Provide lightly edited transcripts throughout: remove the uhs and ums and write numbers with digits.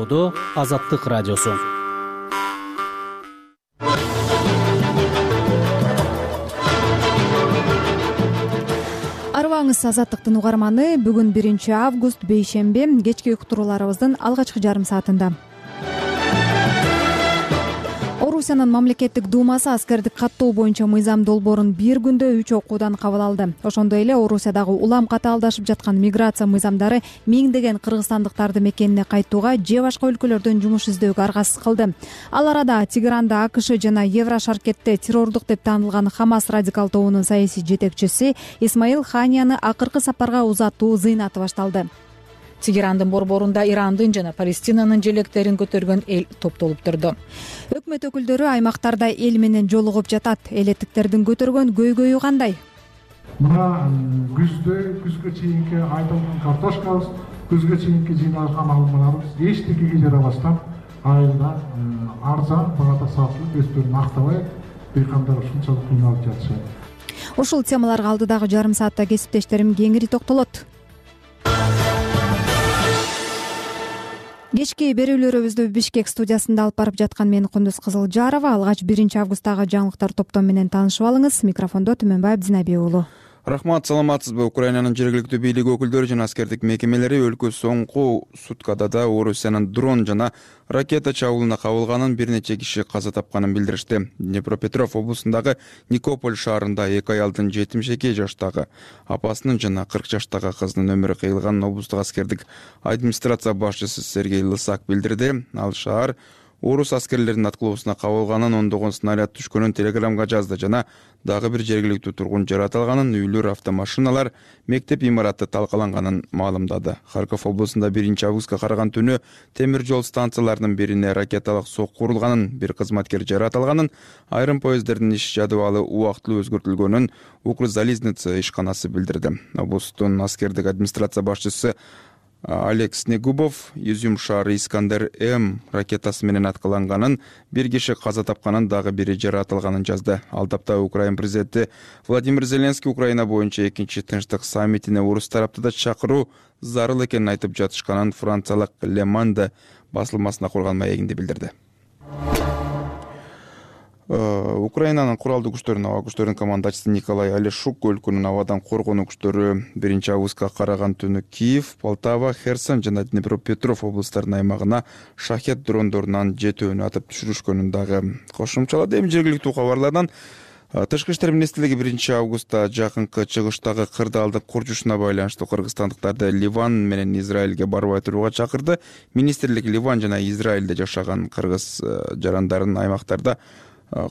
болууда Азаттык радиосу. Арыбаңыз Азаттыктын угарманы. Бүгүн 1-август бейшемби, кечки уктурууларыбыздын алгачкы жарым саатында. Орусиянын мамлекеттик думасы аскердик каттоо боюнча мыйзам долбоорун бир күндө 3 окуудан кабыл алды. Ошондой эле Орусиядагы улам катаалдашып жаткан миграция мыйзамдары миңдеген кыргызстандыктарды мекенине кайтууга же башка өлкөлөрдөн жумуш издөөгө аргасыз кылды. Ал арада Тегеранда АКШ жана Еврошаркетте террордук деп таанылган Хамас радикал тобунун саясий жетекчиси Исмаил Ханияны акыркы сапарга узатуу зыйнаты башталды. Тегерандын борборунда Ирандын жана Палестинанын желектерин көтөргөн эл топтолуп турду. Өкмөт өкүлдөрү аймактарда эл менен жолугуп жатат. Элеттиктердин көтөргөн көйгөйү кандай? Мына күзгө чейинки айтылган картошкабыз, күзгө чейинки жыйналган алмаларыбыз эчтекеге жарабастан айылда арзан багада сатылып, өздөрүн актабай дыйкандар ушунчалык кыйналып жатышат. Ушул темаларга алдыдагы жарым саатта кесиптештерим кеңири токтолот. Кечки берүүлөрүбүздү Бишкек студиясында алып барып жаткан мен Кундуз Кызылжарова. Алгач 1-августтагы жаңылыктар топтом менен таанышып алыңыз. Микрофондо Түмөнбаев Динабек уулу. Рахмат, саламатсызбы? Украинанын жергиликтүү бийлик өкүлдөрү жана аскердик мекемелери өлкө соңку суткада да Орусиянын дрон жана ракета чабуулуна кабылганын, бир нече киши каза тапканын билдиришти. Днепропетров облусундагы Никополь шаарында 2 аялдын 72 жаштагы апасынын жана 40 жаштагы кызынын өмүрү кыйылганын облустук аскердик администрация башчысы Сергей Лысак билдирди. Ал шаар орус аскерлеринин аткылоосуна кабылганын, ондогон снаряд түшкөнүн телеграмга жазды жана дагы бир жергиликтүү тургун жаратылганын, үйлөр, автомашиналар, мектеп имараты талкаланганын маалымдады. Харьков облусунда 1-августка караган түнү темир жол станцияларынын бирине ракеталык сокку урулганын, бир кызматкер жаратылганын, айрым поезддердин иш жадыбалы убактылуу өзгөртүлгөнүн Укрзализница ишканасы билдирди. Облустун аскердик администрация башчысы Олег Снегубов Изюм шаары Искандер М ракетасы менен аткыланганын, бир киши каза тапканын, дагы бири жаратылганын жазды. Ал тапта Украина президенти Владимир Зеленский Украина боюнча экинчи тынчтык саммитине орус тарапты да чакыруу зарыл экенин айтып жатышканын франциялык Le Monde басылмасына курган маегинде билдирди. Украинанын куралдуу күчтөрүнүн аба күчтөрүнүн командачысы Николай Алешук өлкөнүн абадан коргонуу күчтөрү 1-августка караган түнү Киев, Полтава, Херсон жана Днепропетров облустарынын аймагына шахет дрондорунан 7 атып түшүрүшкөнүн дагы кошумчалады. Эми жергиликтүү кабарлардан Тышкы иштер министрлиги 1-августта жакынкы чыгыштагы кырдаалдык курчушуна байланыштуу кыргызстандыктарды Ливан менен Израилге барбай турууга чакырды. Министрлик Ливан жана Израилде жашаган кыргыз жарандарын аймактарда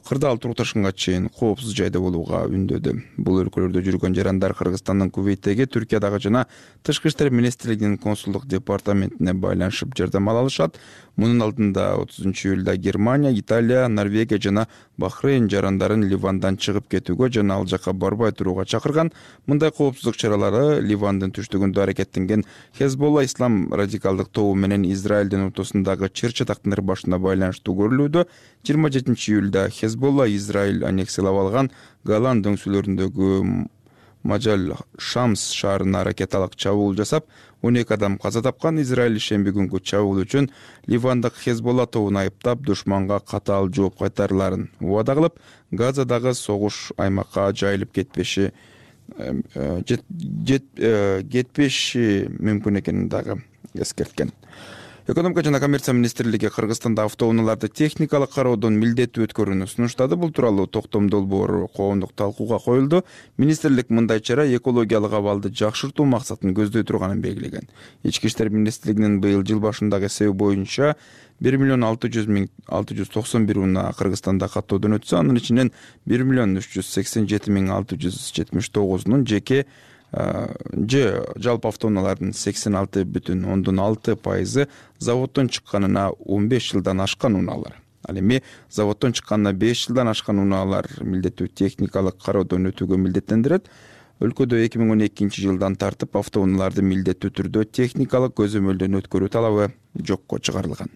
кырдаал турукташканга чейин коопсуз жайда болууга үндөдү. Бул өлкөлөрдө жүргөн жарандар Кыргызстандын Кувейттеги, Түркиядагы жана Тышкы иштер министрлигинин консулдук департаментине байланышып жардам ала алышат. Мунун алдында 30-июлда Германия, Италия, Норвегия жана Бахрейн жарандарын Ливандан чыгып кетүүгө жана ал жакка барбай турууга чакырган. Мындай коопсуздук чаралары Ливандын түштүгүндө аракеттенген Хезболла ислам радикалдык тобу менен Израилдин ортосундагы чыр-чатактын ырбашына байланыштуу көрүлүүдө. 27-июлда Хезболла Израиль аннексиялап алган Голан дөңсөлөрүндөгү Мажал Шамс шаарына ракеталык чабуул жасап, 12 адам каза тапкан. Израиль шемби күнгү чабуул үчүн Ливандык Хезболла тобун айыптап, душманга катаал жооп кайтарыларын убада кылып, Газадагы согуш аймакка жайылып кетпеши мүмкүн экенин дагы эскерткен. Экономика жана коммерция министрлиги Кыргызстанда автоунааларды техникалык кароодон милдеттүү өткөрүүнү сунуштады. Бул тууралуу токтом долбоору коомдук талкууга коюлду. Министрлик мындай чара экологиялык абалды жакшыртуу максатын көздөй турганын белгилеген. Ички иштер министрлигинин быйыл жыл башындагы эсеби боюнча 1,691,691 унаа Кыргызстанда каттоодон өтсө, анын ичинен 1,387,679 жеке жалпы автоунаалардын 86,6% заводдон чыкканына 15 жылдан ашкан унаалар. Ал эми заводдон чыкканына 5 жылдан ашкан унаалар милдеттүү техникалык кароодон өтүүгө милдеттендирет. Өлкөдө 2012 жылдан тартып автоунааларды милдеттүү түрдө техникалык көзөмөлдөн өткөрүү талабы жокко чыгарылган.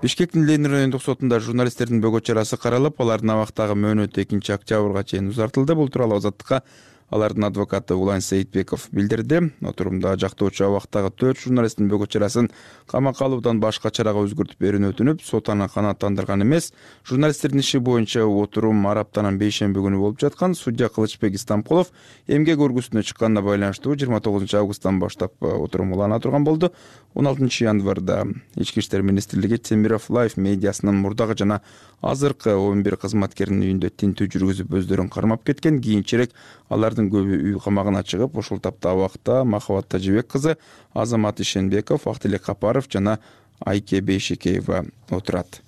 Бишкектин Ленин райондук сотунда журналисттердин бөгөт чарасы каралып, алардын абактагы мөөнөтү 2 октябрга чейин узартылды. Бул тууралуу Азаттыкка Алардын адвокаты Улан Сейитбеков билдирди. Отурумда жактоочу абактагы 4 журналисттин бөгөт чарасын камакка алуудан башка чарага өзгөртүп берүүнү өтүнүп, сот аны канааттандырган эмес. Журналисттердин иши боюнча отурум араптанан бейшемби күнү болуп жаткан. Судья Кылычбек Истамкулов эмгек өргүсүнө чыкканына байланыштуу 29 августтан баштап отурум улана турган болду. 16 январда Ички иштер министрлиги Темиров Лайф медиасынын мурдагы жана азыркы 11 кызматкеринин үйүндө тинтүү жүргүзүп өздөрүн кармап кеткен. Кийинчерээк алардын көбү үй камагына чыгып, ошол тапта абакта Махабат Тажибек кызы, Азамат Ишенбеков, Актилек Капаров жана Айке Бейшекеева отурат.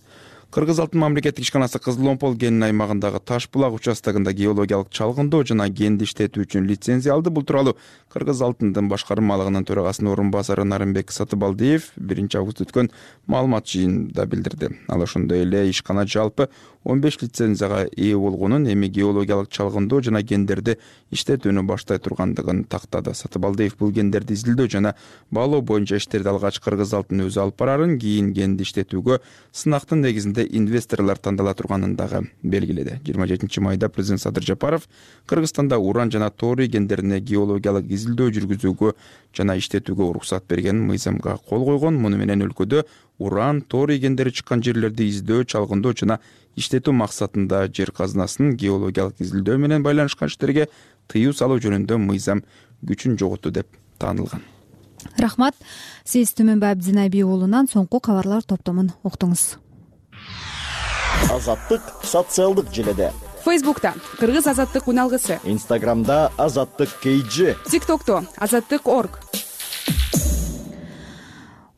Кыргыз алтын мамлекеттик ишканасы Кызыл Омпол кенин аймагындагы Таш булак участогунда геологиялык чалгындоо жана кенди иштетүү үчүн лицензия алды. Бул тууралуу Кыргыз алтындын башкармалыгынын төрагасынын орун басары Нарымбек Сатыбалдиев 1 август өткөн маалымат жыйынында билдирди. Ал ошондой эле ишкана жалпы 15 лицензияга ээ болгонун, эми геологиялык чалгындоо жана кендерди иштетүүнү баштай тургандыгын тактады. Сатыбалдиев бул кендерди изилдөө жана баалоо боюнча иштерди алгач Кыргыз алтын өзү алып барарын, кийин кенди иштетүүгө сынактын негизинде инвесторлор тандала турганын дагы белгиледи. 27 майда президент Садыр Жапаров Кыргызстанда уран жана торий кендерине геологиялык изилдөө жүргүзүүгө жана иштетүүгө уруксат берген мыйзамга кол койгон. Муну менен өлкөдө уран, торий кендери чыккан жерлерди издөө, чалгындоо жана иштетүү максатында жер казынасынын геологиялык изилдөө менен байланышкан иштерге тыюу салуу жөнүндө мыйзам күчүн жоготу деп таанылган. Рахмат. Сиз Түмөнбай Абдинайби уулунан соңку кабарлар топтомун уктуңуз. Азаттык социалдык желеде. Фейсбукта Кыргыз азаттык уналгысы, Инстаграмда Азаттык KG, ТикТокто Азаттык.org.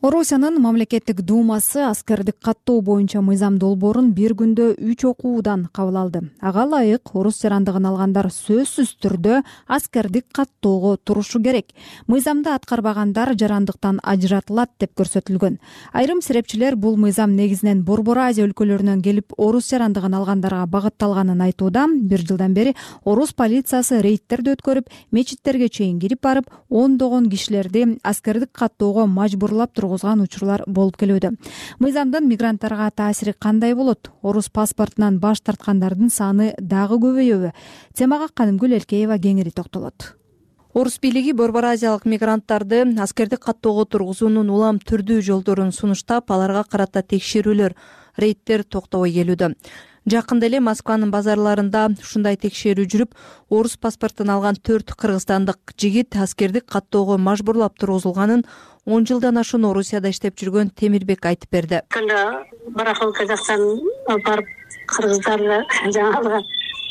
Орусиянын мамлекеттик думасы аскердик каттоо боюнча мыйзам долбоорун бир күндө 3 окуудан кабыл алды. Ага ылайык орус жарандыгын алгандар сөзсүз түрдө аскердик каттоого турушу керек. Мыйзамды аткарбагандар жарандыктан ажыратылат деп көрсөтүлгөн. Айрым серепчилер бул мыйзам негизинен Борбор Азия өлкөлөрүнөн келип орус жарандыгын алгандарга багытталганын айтууда. 1 жылдан бери орус полициясы рейдтерди өткөрүп, мечиттерге чейин кирип барып, ондогон кишилерди аскердик каттоого мажбурлап учурлар болуп келүүдө. Мыйзамдын мигранттарга таасири кандай болот? Орус паспортунан баш тарткандардын саны дагы көбөйөбү? Темага Канымгүл Элкеева кеңири токтолот. Орус бийлиги Борбор Азиялык мигранттарды аскердик каттоого тургузуунун улам түрдүү жолдорун сунуштап, аларга карата текшерүүлөр, рейдтер токтобой келүүдө. Жакында эле Москванын базарларында ушундай текшерүү жүрүп, орус паспортун алган 4 кыргызстандык жигит аскердик каттоого мажбурлап тургузулганын 10 жылдан ашуун Орусияда иштеп жүргөн Темирбек айтып берди. Барахолка жактан алып барып кыргыздарды жаңалыгы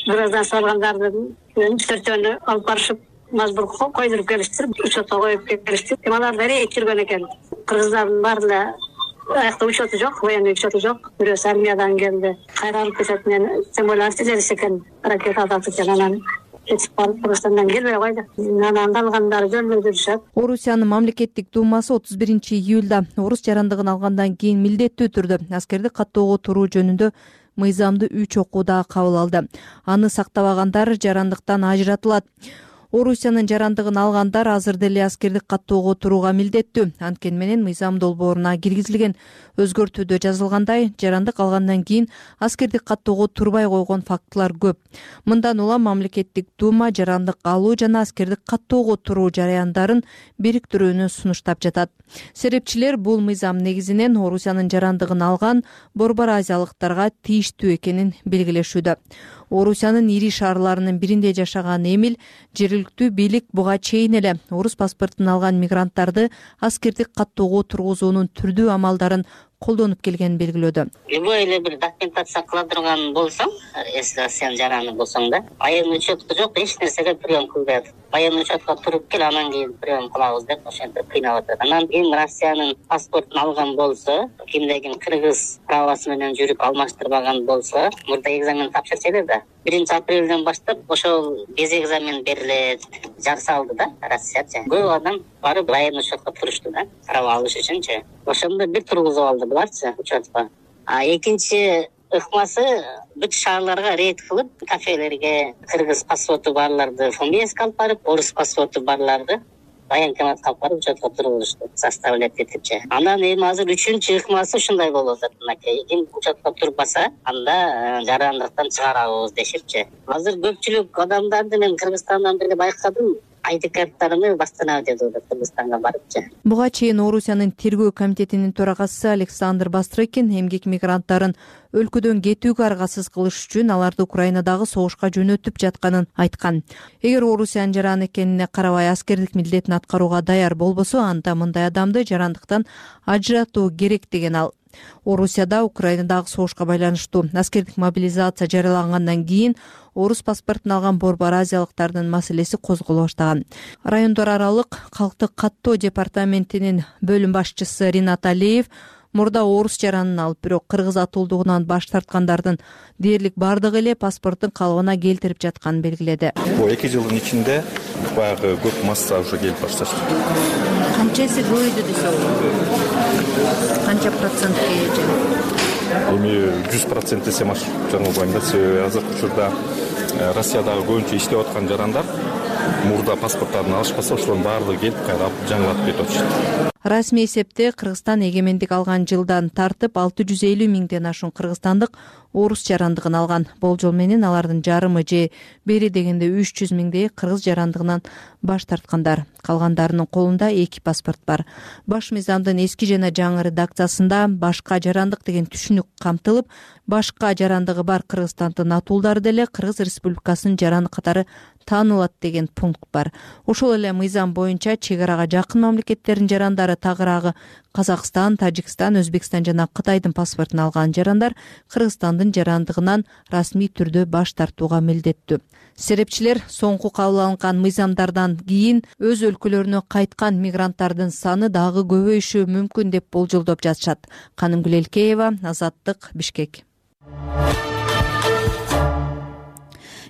граждан салгандардын 4-төнү алып барышып мажбур койдуруп келиштир, учетко коюп келиштир. Алар да рейд жүргөн экен. Кыргыздардын баарында аякта учету жок, военный учету жок. Бирөөсү армиядан келди. Кайра алып кетет менен, тем более артиллерия экен, ракета атат экен, анан кетип барып Кыргызстандан келбей койду. Анан алгандары жөнүндө жүрүшөт. Орусиянын мамлекеттик думасы 31 июлда орус жарандыгын алгандан кийин милдеттүү түрдө аскердик каттоого туруу жөнүндө мыйзамды 3 окууда кабыл алды. Аны сактабагандар жарандыктан ажыратылат. Орусиянын жарандыгын алгандар азыр деле аскердик каттоого турууга милдеттүү. Анткени менен мыйзам долбооруна киргизилген өзгөртүүдө жазылгандай, жарандык алгандан кийин аскердик каттоого турбай койгон фактылар көп. Мындан улам мамлекеттик дума жарандык алуу жана аскердик каттоого туруу жараяндарын бириктирүүнү сунуштап жатат. Серепчилер бул мыйзам негизинен Орусиянын жарандыгын алган Борбор Азиялыктарга тийиштүү экенин белгилешүүдө. Орусиянын ири шаарларынын биринде жашаган Эмил жергиликтүү бийлик буга чейин эле орус паспортун алган мигранттарды аскердик каттоого тургузуунун түрдүү амалдарын колдонуп келгенин белгилөөдө. Любой эле бир документация кыла турган болсоң, если сен жараны болсоң да, военный учету жок, эч нерсеге прием кылбайт. Военный учетко туруп кел, анан кийин прием кылабыз деп ошентип кыйнап атат. Анан кийин Россиянын паспортун алган болсо, кимде ким кыргыз правасы менен жүрүп алмаштырбаган болсо, мурда экзамен тапшырчу эле да. 1 апрелден баштап ошол без экзамен берилет, жарсалды да Россиячы. Көп адам барып военный учетко турушту да, права алыш үчүнчү. Ошондо бир тургузуп алды буларчы учетко. Экинчи ыкмасы бүт шаарларга рейд кылып, кафелерге кыргыз паспорту барларды фамилиясына алып барып, орус паспорту барларды военкоматка алып барып учетко тургузушту, составлять этипчи. Анан эми азыр 3-ыкмасы ушундай болуп атат. Мынакей ким учетко турбаса, анда жарандыктан чыгарабыз дешипчи. Азыр көпчүлүк адамдарды мен Кыргызстандан бери байкадым. ID карттарымды баштанабы деп атат Кыргызстанга барыпчы. Буга чейин Орусиянын тергөө комитетинин төрагасы Александр Бастрыкин эмгек мигранттарын өлкөдөн кетүүгө аргасыз кылыш үчүн аларды Украинадагы согушка жөнөтүп жатканын айткан. Эгер Орусиянын жаран экенине карабай аскердик милдетин аткарууга даяр болбосо, анда мындай адамды жарандыктан ажыратуу керек деген ал. Орусияда Украинадагы согушка байланыштуу аскердик мобилизация жарыялангандан кийин орус паспортун алган борбор азиялыктардын маселеси козголо баштаган. Райондор аралык калктык каттоо департаментинин бөлүм башчысы Ринат Алиев мурда орус жаранын алып, бирок кыргыз атуулдугунан баш тарткандардын дээрлик бардыгы эле паспорттун калыбына келтирип жатканын белгиледи. Бул 2 жылдын ичинде баягы көп масса уже келип башташты. Канчасы көбөйдү десек? Канча процентке жана? Эми 100% десем жаңылбайм да. Себеби азыркы учурда Россиядагы көбүнчө иштеп аткан жарандар мурда паспорттарын алышпаса, ошолордун баардыгы келип кайра жаңылатып кетип атышат. Расмий эсепте Кыргызстан эгемендик алган жылдан тартып 650 миңден ашуун кыргызстандык орус жарандыгын алган. Болжол менен алардын жарымы же бери дегенде 300 миңдей кыргыз жарандыгынан баш тарткандар. Калгандарынын колунда 2 паспорт бар. Баш мыйзамдын эски жана жаңы редакциясында башка жарандык деген түшүнүк камтылып, башка жарандыгы бар Кыргызстандын атуулдары деле Кыргыз Республикасынын жараны катары таанылат деген пункт бар. Ошол эле мыйзам боюнча чек арага жакын мамлекеттердин жарандары тагыраагы Казакстан, Тажикстан, Өзбекстан жана Кытайдын паспортун алган жарандар Кыргызстандын жарандыгынан расмий түрдө баш тартууга милдеттүү. Серепчилер соңку кабыл алынган мыйзамдардан кийин өз өлкөлөрүнө кайткан мигранттардын саны дагы көбөйүшү мүмкүн деп болжолдоп жатышат. Канымгүл Элкеева, Азаттык, Бишкек.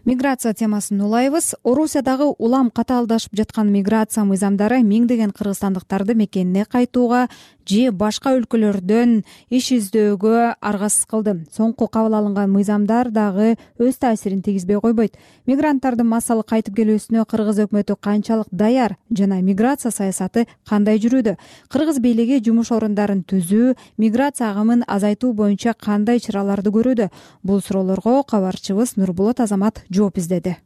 Миграция темасын улайбыз. Орусиядагы улам катаалдашып жаткан миграция мыйзамдары миңдеген кыргызстандыктарды мекенине кайтууга же башка өлкөлөрдөн иш издөөгө аргасыз кылды. Соңку кабыл алынган мыйзамдар дагы өз таасирин тийгизбей койбойт. Мигранттардын массалык кайтып келүүсүнө кыргыз өкмөтү канчалык даяр жана миграция саясаты кандай жүрүүдө? Кыргыз бийлиги жумуш орундарын түзүү, миграция агымын азайтуу боюнча кандай чараларды көрүүдө? Бул суроолорго кабарчыбыз Нурбулат Азамат жооп издеди.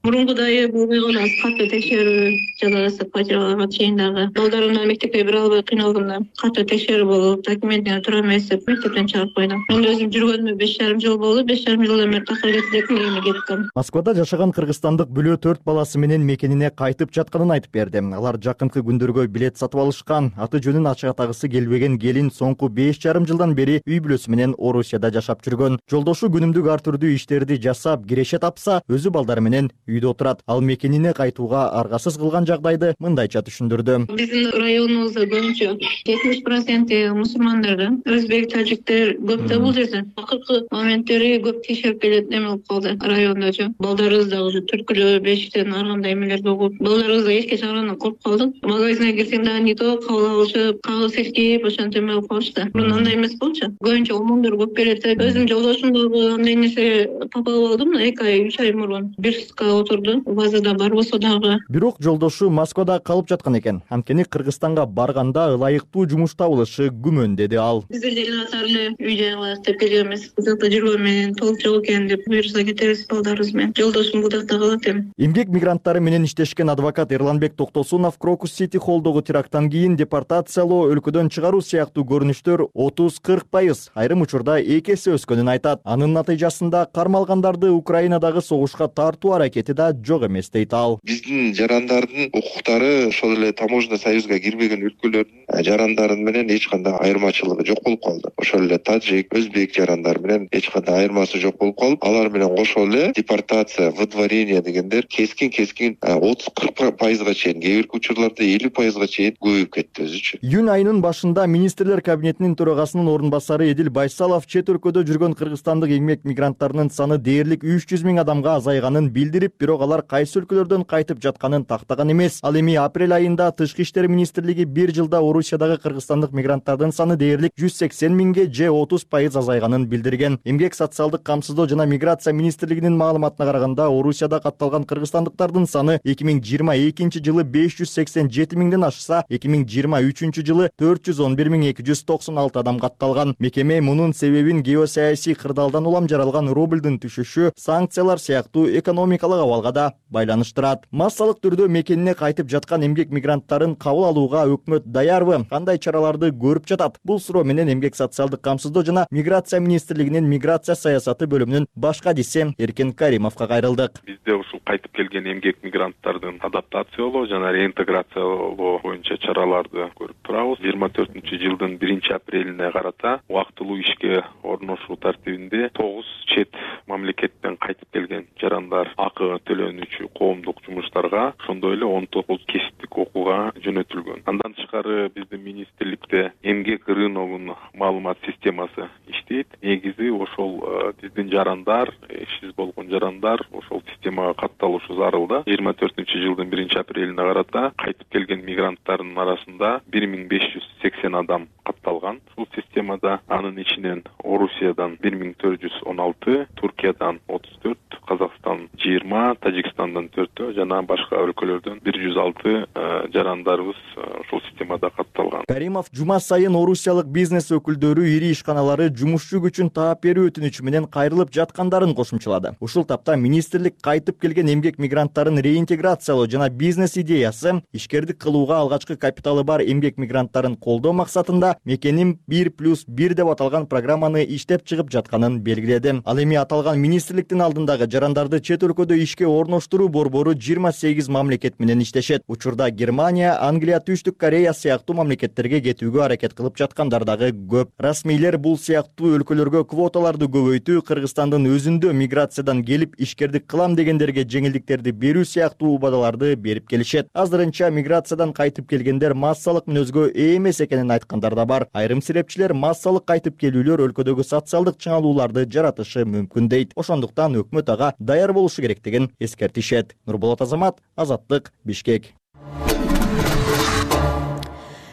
Мурункудай болбой калган катуу текшерүү жалгасып фатираларга чейин дагы балдарымды мектепке бере албай кыйналганда катуу текшерүү болуп, документине туура эмес деп мектептен чыгарып койду. Мен өзүм жүргөнүмө 5,5 жыл болду. 5,5 жылдан бери такыр кетип кеттим. Москвада жашаган кыргызстандык бүлө 4 баласы менен мекенине кайтып жатканын айтып берди. Алар жакынкы күндөргө билет сатып алышкан. Аты жөнүн ачыктагысы келбеген келин соңку 5,5 жылдан бери үй бүлөсү менен Орусияда жашап жүргөн. Жолдошу күнүмдүк ар түрдүү иштерди жасап, киреше тапса, өзү балдары менен үйдө отурат. Ал мекенине кайтууга аргасыз кылган жагдайды мындайча түшүндүрдү. Биздин районубузда көбүнчө 70% мусулмандар, өзбек, тажиктер көп да бул жерде. Акыркы моменттери көп текшерип келет эме болуп калды райондочу. Балдарыбыз да уже түркүлөө, бешиктен ар кандай эмелерди угуп, балдарыбыз да эшикке чыгаргандан коркуп калдык. Магазинге кирсең дагы не то кабыл алышып, кагыс эскип, ошентип эме болуп калышты. Мурун андай эмес болчу. Көбүнчө омондор көп келет. Өзүм жолдошум дагы андай нерсе тап алып алдым. 2 ай, 3 ай мурун бир суткага отурду. Базада бар болсо дагы. Бирок жолдошу Москвада калып жаткан экен. Анткени Кыргызстанга барганда ылайыктуу жумуш табылышы күмөн, деди ал. Биздер деле атар эле үй жай кылайык деп келгенбиз. Бузакта жүргөн менен толук жок экен деп буюрса кетебиз балдарыбыз менен. Жолдошум бузакта калат эми. Эмгек мигранттары менен иштешкен адвокат Эрланбек Токтосунов Крокус Сити холлдогу теракттан кийин депортациялоо, өлкөдөн чыгаруу сыяктуу көрүнүштөр 30-40%, айрым учурда 2 эсе өскөнүн айтат. Анын натыйжасында кармалгандарды Украинадагы согушка тартуу аракети да жок эмес дейт ал. Биздин жарандардын укуктары ошол эле таможенный союзга кирбеген өлкөлөрдүн жарандары менен эч кандай айырмачылыгы жок болуп калды. Ошол эле тажик, өзбек жарандары менен эч кандай айырмасы жок болуп калып, алар менен кошо эле депортация, выдворение дегендер кескин 30-40%га чейин, кээ бирки учурларда 50%га чейин көбөйүп кетти өзүчү. Июнь айынын башында министрлер кабинетинин төрагасынын орун басары Эдил Байсалов чет өлкөдө жүргөн кыргызстандык эмгек мигранттарынын саны дээрлик 300 миң адамга азайганын билдирип, бирок алар кайсы өлкөлөрдөн кайтып жатканын тактаган эмес. Ал эми апрель айында Тышкы иштер министрлиги бир жылда Орусиядагы кыргызстандык мигранттардын саны дээрлик 180 миңге же 30% азайганын билдирген. Эмгек социалдык камсыздоо жана миграция министрлигинин маалыматына караганда Орусияда катталган кыргызстандыктардын саны 2022 жылы 587 миңден ашса, 2023 жылы 411.296 адам катталган. Мекеме мунун себебин геосаясий кырдаалдан улам жаралган рублдун түшүшү, санкциялар сыяктуу экономикалык абалга да байланыштырат. Массалык түрдө мекенине кайтып жаткан эмгек мигранттарын кабыл алууга өкмөт даярбы? Кандай чараларды көрүп жатат? Бул суроо менен Эмгек социалдык камсыздоо жана миграция министрлигинин миграция саясаты бөлүмүнүн баш кадиси Эркен Каримовго кайрылдык. Бизде ушул кайтып келген эмгек мигранттардын адаптациялоо жана реинтеграциялоо боюнча чараларды көрүп турабыз. 24-жылдын 1-апрелине карата убактылуу ишке орношуу тартибинде 9 чет мамлекеттен кайтып келген жарандар акы төлөнүүчү коомдук жумуштарга, ошондой эле 19 кесиптик окууга жөнөтүлгөн. Андан тышкары биздин министрликте эмгек рыногунун маалымат системасы иштейт. Негизи ошол биздин жарандар, ишсиз болгон жарандар ошол системага катталышы зарыл да. 24-жылдын 1-апрелине карата кайтып келген мигранттардын арасында 1580 адам катталган ушул системада. Анын ичинен Орусиядан 1416, Туркиядан 34, Казакстан 20, Тажикстандан 4 жана башка өлкөлөрдөн 106 жарандарыбыз ушул системада катталган. Каримов жума сайын орусиялык бизнес өкүлдөрү ири ишканалары жумушчу күчүн таап берүү өтүнүчү менен кайрылып жаткандарын кошумчалады. Ушул тапта министрлик кайтып келген эмгек мигранттарын реинтеграциялоо жана бизнес идеясы, ишкердик кылууга алгачкы капиталы бар эмгек мигранттарын колдоо максатында мекеним 1+1 деп аталган программаны иштеп чыгып жатканын белгиледи. Ал эми аталган министрликтин алдындагы жарандарды чет өлкөдө ишке орноштуруу борбору 28 мамлекет менен иштешет. Учурда Германия, Англия, Түштүк Корея сыяктуу мамлекеттерге кетүүгө аракет кылып жаткандар дагы көп. Расмийлер бул сыяктуу өлкөлөргө квоталарды көбөйтүү, Кыргызстандын өзүндө миграциядан келип ишкердик кылам дегендерге жеңилдиктерди берүү сыяктуу убадаларды берип келишет. Азырынча миграциядан кайтып келгендер массалык мүнөзгө ээ эмес экенин айткандар да бар. Айрым серепчилер массалык кайтып келүүлөр өлкөдөгү социалдык чыңалууларды жаратышы мүмкүн дейт. Ошондуктан өкмөт ага даяр болушу керектигин эскертишет. Нурболот Азамат, Азаттык, Бишкек.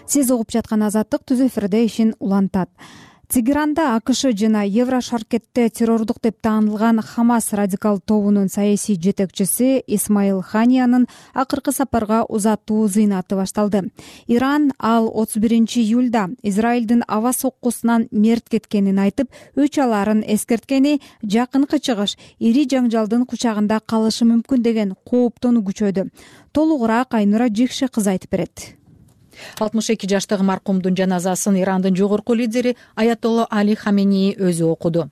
Сиз угуп жаткан Азаттык түз эфирде ишин улантат. Тегеранда АКШ жана Еврошаркетте террордук деп таанылган Хамас радикал тобунун саясий жетекчиси Исмаил Ханиянын акыркы сапарга узатуу зыйнаты башталды. Иран ал 31-июлда Израилдин аба соккусунан мерт кеткенин айтып, өч аларын эскерткени жакынкы чыгыш ири жаңжалдын кучагында калышы мүмкүн деген кооптону күчөдү. Толугураак Айнура Жикше кызы айтып берет. 62 жаштагы маркумдун жаназасын Ирандын жогорку лидери Аятолла Али Хамени өзү окуду.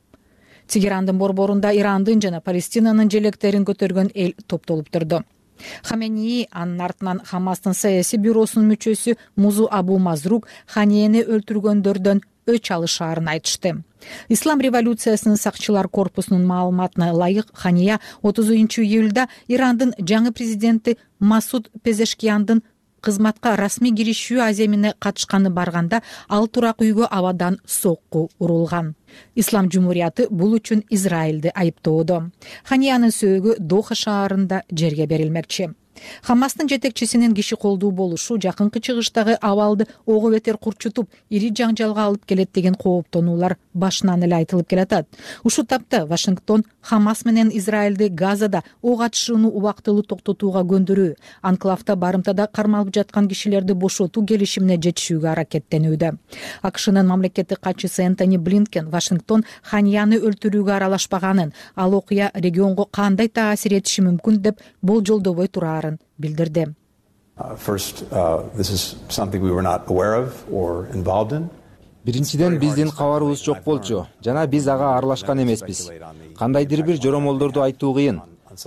Тегерандын борборунда Ирандын жана Палестинанын желектерин көтөргөн эл топтолуп турду. Хамени анын артынан Хамастын саясий бюросунун мүчөсү Музу Абу Мазрук Ханияны өлтүргөндөрдөн өч алышаарын айтышты. Ислам революциясынын сакчылар корпусунун маалыматына ылайык, Хания 30-июлда Ирандын жаңы президенти Масуд Пезешкияндын кызматка расмий киришүү аземине катышканы барганда ал турак үйгө абадан сокку урулган. Ислам жумурияты бул үчүн Израилди айыптоодо. Ханиянын сөөгү Доха шаарында жерге берилмекчи. Хамастын жетекчисинин киши колдуу болушу жакынкы чыгыштагы абалды ого бетер курчутуп, ири жаңжалга алып келет деген кооптонуулар башынан эле айтылып келатат. Ушул тапта Вашингтон Хамас менен Израилди Газада ок атышууну убактылуу токтотууга көндүрүү, анклавда барымтада кармалып жаткан кишилерди бошотуу келишимине жетишүүгө аракеттенүүдө. АКШнын мамлекеттик катчысы Энтони Блинкен Вашингтон Ханияны өлтүрүүгө аралашпаганын, ал окуя регионго кандай таасир этиши мүмкүн деп болжолдобой турарын билдирди. Биринчиден биздин кабарыбыз жок болчу жана биз ага аралашкан эмеспиз. Кандайдыр бир жоромолдорду айтуу кыйын.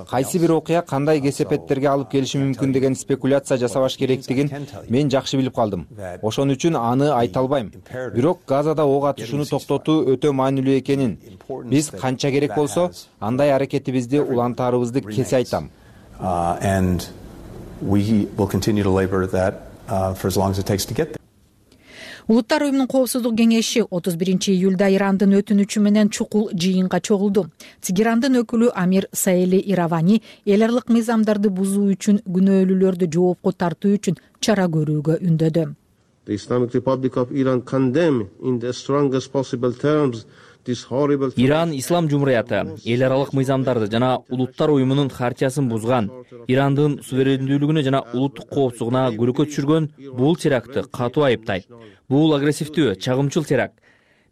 Кайсы бир окуя кандай кесепеттерге алып келиши мүмкүн деген спекуляция жасабаш керектигин мен жакшы билип калдым. Ошон үчүн аны айта албайм. Бирок Газада ок атышууну токтотуу өтө маанилүү экенин, биз канча керек болсо андай аракетибизди улантаарыбызды кесе айтам. And we will continue to labor that for as long as it takes to get there. Улуттар уюмунун коопсуздук кеңеши 31 июлда Ирандын өтүнүчү менен чукул жыйынга чогулду. Тегерандын өкүлү Амир Саели Иравани эл аралык мыйзамдарды бузуу үчүн күнөөлүүлөрдү жоопко тартуу үчүн чара көрүүгө үндөдү. The Islamic Republic of Iran condemn in the strongest possible terms this horrible. Иран ислам жумурияты эл аралык мыйзамдарды жана улуттар уюмунун хартиясын бузган, Ирандын суверендүүлүгүнө жана улуттук коопсуздугуна күрөккө түшүргөн бул терактты катуу айыптайт. Бул агрессивдүү, чагымчыл теракт,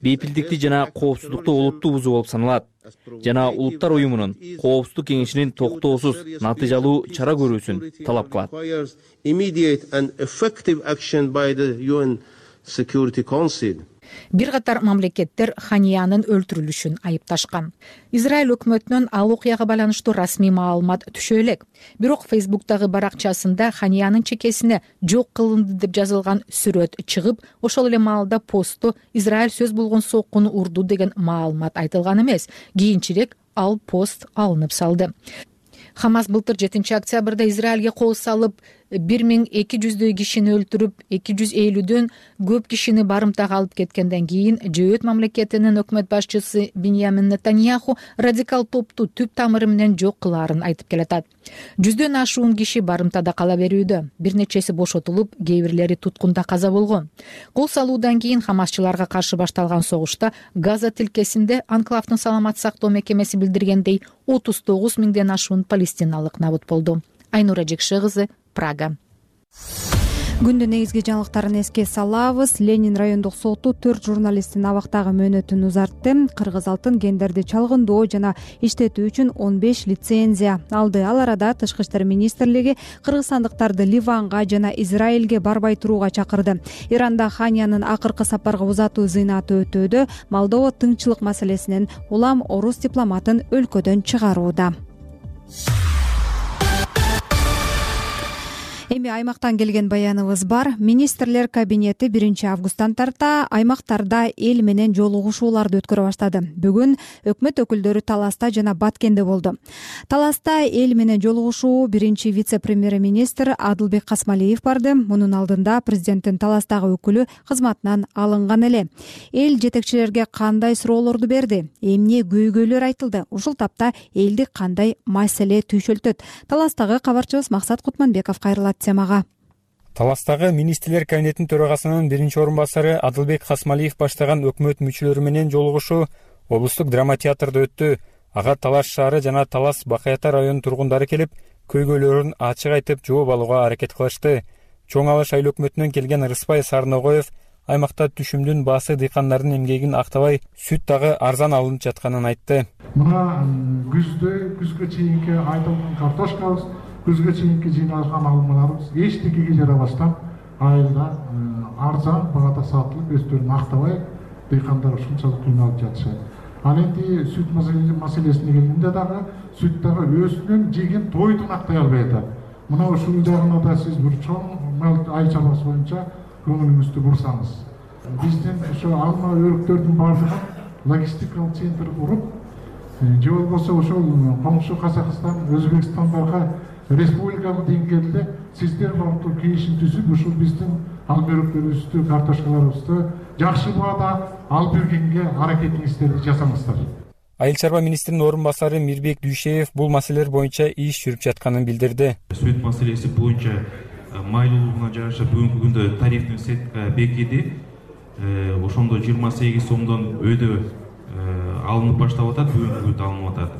бейпилдикти жана коопсуздукту олуттуу бузуу болуп саналат. Жана улуттар уюмунун коопсуздук кеңешинин токтоосуз, натыйжалуу чара көрүүсүн талап кылат. Immediate and effective action by the UN Security Council. Бир катар мамлекеттер Ханиянын өлтүрүлүшүн айыпташкан. Израиль өкмөтүнөн ал окуяга байланыштуу расмий маалымат түшө элек. Бирок Фейсбуктагы баракчасында Ханиянын чекесине жок кылынды деп жазылган сүрөт чыгып, ошол эле маалда постто Израиль сөз болгон соккуну урду деген маалымат айтылган эмес. Кийинчерээк ал пост алынып салды. Хамас былтыр 7 октябрда Израилге кол салып, 1200 кишини өлтүрүп, 250дөн көп кишини барымтага алып кеткенден кийин Жөөт мамлекетинин өкмөт башчысы Биньямин Нетаньяху радикал топту түп тамыры менен жок кылаарын айтып келатат. 100дөн ашуун киши барымтада кала берүүдө, бир нечеси бошотулуп, кээ бирлери туткунда каза болгон. Кол салуудан кийин хамасчыларга каршы башталган согушта Газа тилкесинде Анклавдын саламат сактоо мекемеси билдиргендей 39 миңден ашуун палестиналык набыт болду. Айнура Жекше кызы, Прага. Күндүн негизги жаңылыктарын эске салабыз. Ленин райондук соту 4 журналисттин абактагы мөөнөтүн узартты. Кыргыз алтын гендерди чалгындоо жана иштетүү үчүн 15 лицензия алды. Ал арада Тышкы иштер министрлиги кыргызстандыктарды Ливанга жана Израилге барбай турууга чакырды. Иранда Ханиянын акыркы сапарга узатуу зыйнаты өтүүдө. Молдова тынччылык маселесинен улам орус дипломатын өлкөдөн чыгарууда. Эми аймактан келген баяныбыз бар. Министрлер кабинети 1 августтан тарта аймактарда эл менен жолугушууларды өткөрө баштады. Бүгүн өкмөт өкүлдөрү Таласта жана Баткенде болду. Таласта эл менен жолугушуу биринчи вице-премьер-министр Адылбек Касмалиев барды. Мунун алдында президенттин Таластагы өкүлү кызматынан алынган эле. Эл жетекчилерге кандай суроолорду берди? Эмне көйгөйлөр айтылды? Ушул тапта элди кандай маселе түйшөлтөт? Таластагы кабарчыбыз Максат Кутманбеков кайрылат темага. Таластагы министрлер кабинетинин төрагасынын биринчи орун басары Адылбек Касмалиев баштаган өкмөт мүчөлөрү менен жолугушуу облустук драма театрда өттү. Ага Талас шаары жана Талас Бакаята районунун тургундары келип, көйгөйлөрүн ачык айтып жооп алууга аракет кылышты. Чоң Алыш айыл өкмөтүнөн келген Рыспай Сарногоев аймакта түшүмдүн баасы дыйкандардын эмгегин актабай, сүт дагы арзан алынып жатканын айтты. Мына күзгө чейинки айтылган картошкабыз, күзгө чейинки жыйналган алымдарыбыз эчтекеге жарабастан айылда арзан багада сатылып, өздөрүн актабай, дыйкандар ушунчалык кыйналып жатышат. Ал энди сүт маселесине келгенде дагы сүт дагы өзүнүн жеген тойдун актай албай атат. Мына ушул жагына да сиз бир чоң айыл чарбасы боюнча көңүлүңүздү бурсаңыз. Биздин ошо алма өрүктөрдүн баардыгын логистикалык центр куруп, же болбосо ошол коңшу Казакстан, Өзбекстандарга республикалык деңгээлде сиздер баардык келишим түзүп, ушул биздин алма өрүктөрүбүздү, картошкаларыбызды жакшы баада алып бергенге аракетиңиздерди жасаңыздар. Айыл чарба министринин орун басары Мирбек Дүйшеев бул маселелер боюнча иш жүрүп жатканын билдирди. Сүт маселеси боюнча майлуулугуна жараша бүгүнкү күндө тарифтик сетка бекиди. Ошондо 28 сомдон өйдө алынып баштап атат, бүгүнкү күндө алынып атат.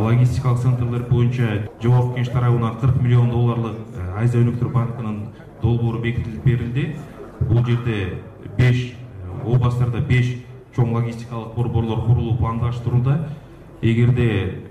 Логистикалык центрлер боюнча жогорку кеңеш тарабынан 40 миллион долларлык Азия өнүктүрүү банкынын долбоору бекитилип берилди. Бул жерде 5 областтарда 5 чоң логистикалык борборлор курулуп пландаштырылды. Эгерде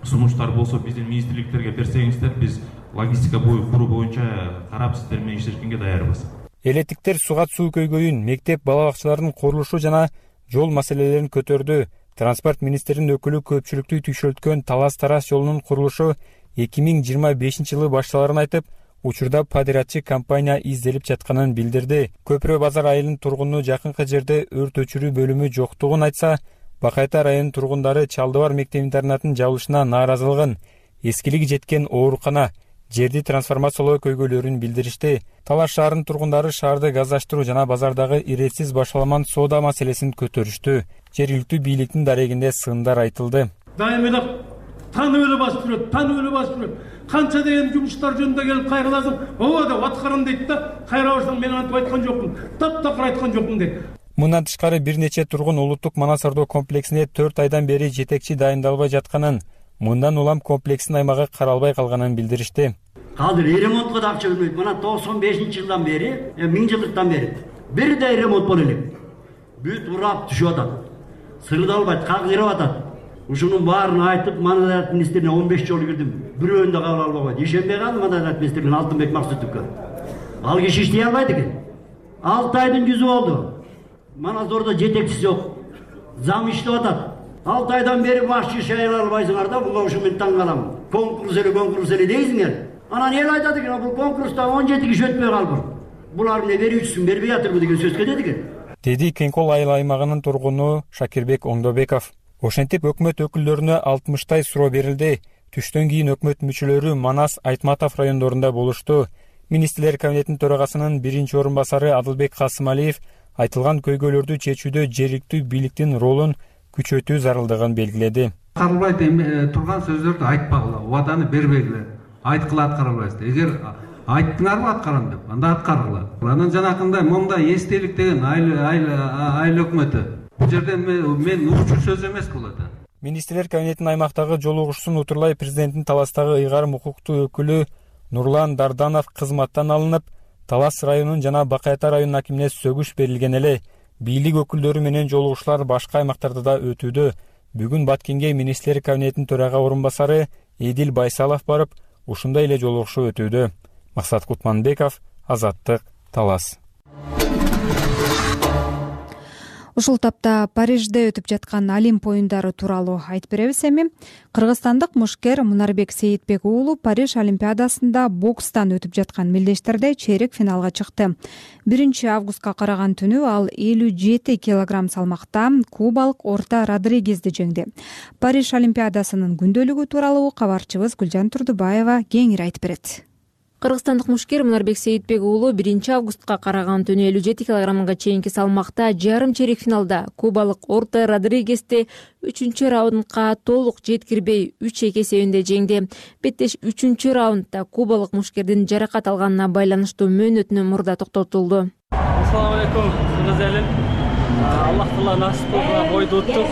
сунуштар болсо биздин министрликтерге берсеңиздер, биз логистика куруу боюнча карап сиздер менен иштешкенге даярбыз. Элеттиктер сугат суу көйгөйүн, мектеп бала бакчаларынын курулушу жана жол маселелерин көтөрдү. Транспорт министринин өкүлү көпчүлүктү түйшөлткөн Талас-Тарас жолунун курулушу 2025 жылы башталарын айтып, учурда подрядчы компания изделип жатканын билдирди. Көпүрө базар айылынын тургуну жакынкы жерде өрт өчүрүү бөлүмү жоктугун айтса, Бакайта районунун тургундары Чалдыбар мектеп интернатынын жабылышына нааразылыгын, эскилиги жеткен оорукана, жерди трансформациялоо көйгөйлөрүн билдиришти. Талаш шаарынын тургундары шаарды газдаштыруу жана базардагы иретсиз башаламан соода маселесин көтөрүштү. Жергиликтүү бийликтин дарегинде сындар айтылды. Дайым эле таанып эле басып жүрөт. Канча деген жумуштар жөнүндө келип кайрыласың, ооба деп аткарам дейт да, кайра барсаң мен антип айткан жокмун, таптакыр айткан жокмун дейт. Мындан тышкары бир нече тургун улуттук манас ордо комплексине 4 айдан бери жетекчи дайындалбай жатканын, мындан улам комплекстин аймагы каралбай калганын билдиришти. Азыр ремонтко да акча бербейт. Мына 95-жылдан бери, 1000 жылдыктан бери бирдей ремонт боло элек. Бүт урап түшүп атат. Сырдалбайт, кагырып атат. Ушунун баарын айтып, Маданият министрине 15 жолу кирдим. Бирөөнү да кабыл албай койду. Ишенбей калдым Маданият министрине Алтынбек Максутовго. Ал киши иштей албайт экен. 6 айдын жүзү болду. Манас ордо жетекчиси жок. Зам иштеп атат. 6 айдан бери башчы шайлай албайсыңар да, буга ушу мен таң калам. Конкурс эле дейсиңер. Анан эл айтат экен, бул конкурста 17 киши өтпөй калды. Булар эмне берүүчүсүн бербей атырбы деген сөз кетет экен. Деди Кеңкол айыл аймагынын тургуну Шакирбек Оңдобеков. Ошентип өкмөт өкүлдөрүнө 60 суроо берилди. Түштөн кийин өкмөт мүчөлөрү Манас, Айтматов райондорунда болушту. Министрлер кабинетинин төрагасынын биринчи орун басары Адылбек Касымалиев айтылган көйгөйлөрдү чечүүдө жергиликтүү бийликтин ролун күчөтүү зарылдыгын белгиледи. Аткарылбай турган сөздөрдү айтпагыла, убаданы бербегиле. Айткыла аткарылбайсыздар. Эгер айттыңарбы аткарам деп, анда аткаргыла. Анан жанакындай момда эстелик деген айыл өкмөтү. Бул жерде мен угуучу сөз эмес бул да. Министрлер кабинетинин аймактагы жолугушуусун утурлай президенттин Таластагы ыйгарым укуктуу өкүлү Нурлан Дарданов кызматтан алынып, Талас районунун жана Бакай Ата районунун акимине сөгүш берилген эле. Бийлик өкүлдөрү менен жолугушуулар башка аймактарда да өтүүдө. Бүгүн Баткенге министрлер кабинетинин төрага орун басары Эдил Байсалов барып, ушундай эле жолугушуу өтүүдө. Максат Кутманбеков, Азаттык, Талас. Ушул тапта Парижде өтүп жаткан Олимп оюндары тууралуу айтып беребиз эми. Кыргызстандык мушкер Мунарбек Сейитбек уулу Париж Олимпиадасында бокстан өтүп жаткан мелдештерде чейрек финалга чыкты. 1-августка караган түнү ал 57 килограмм салмакта кубалык Орта Родригезди жеңди. Париж Олимпиадасынын күндөлүгү тууралуу кабарчыбыз Гүлжан Турдубаева кеңири айтып берет. Кыргызстандык мушкер Мунарбек Сейитбек уулу 1-августка караган түнү 57 килограммга чейинки салмакта жарым чейрек финалда кубалык Орта Родригезди 3-раундка толук жеткирбей 3-2 эсебинде жеңди. Беттеш 3-раундда кубалык мушкердин жаракат алганына байланыштуу мөөнөтүнө мурда токтотулду. Ассаламу алейкум, Гүзелин. Аллах Таала насип кылган бойду уттук.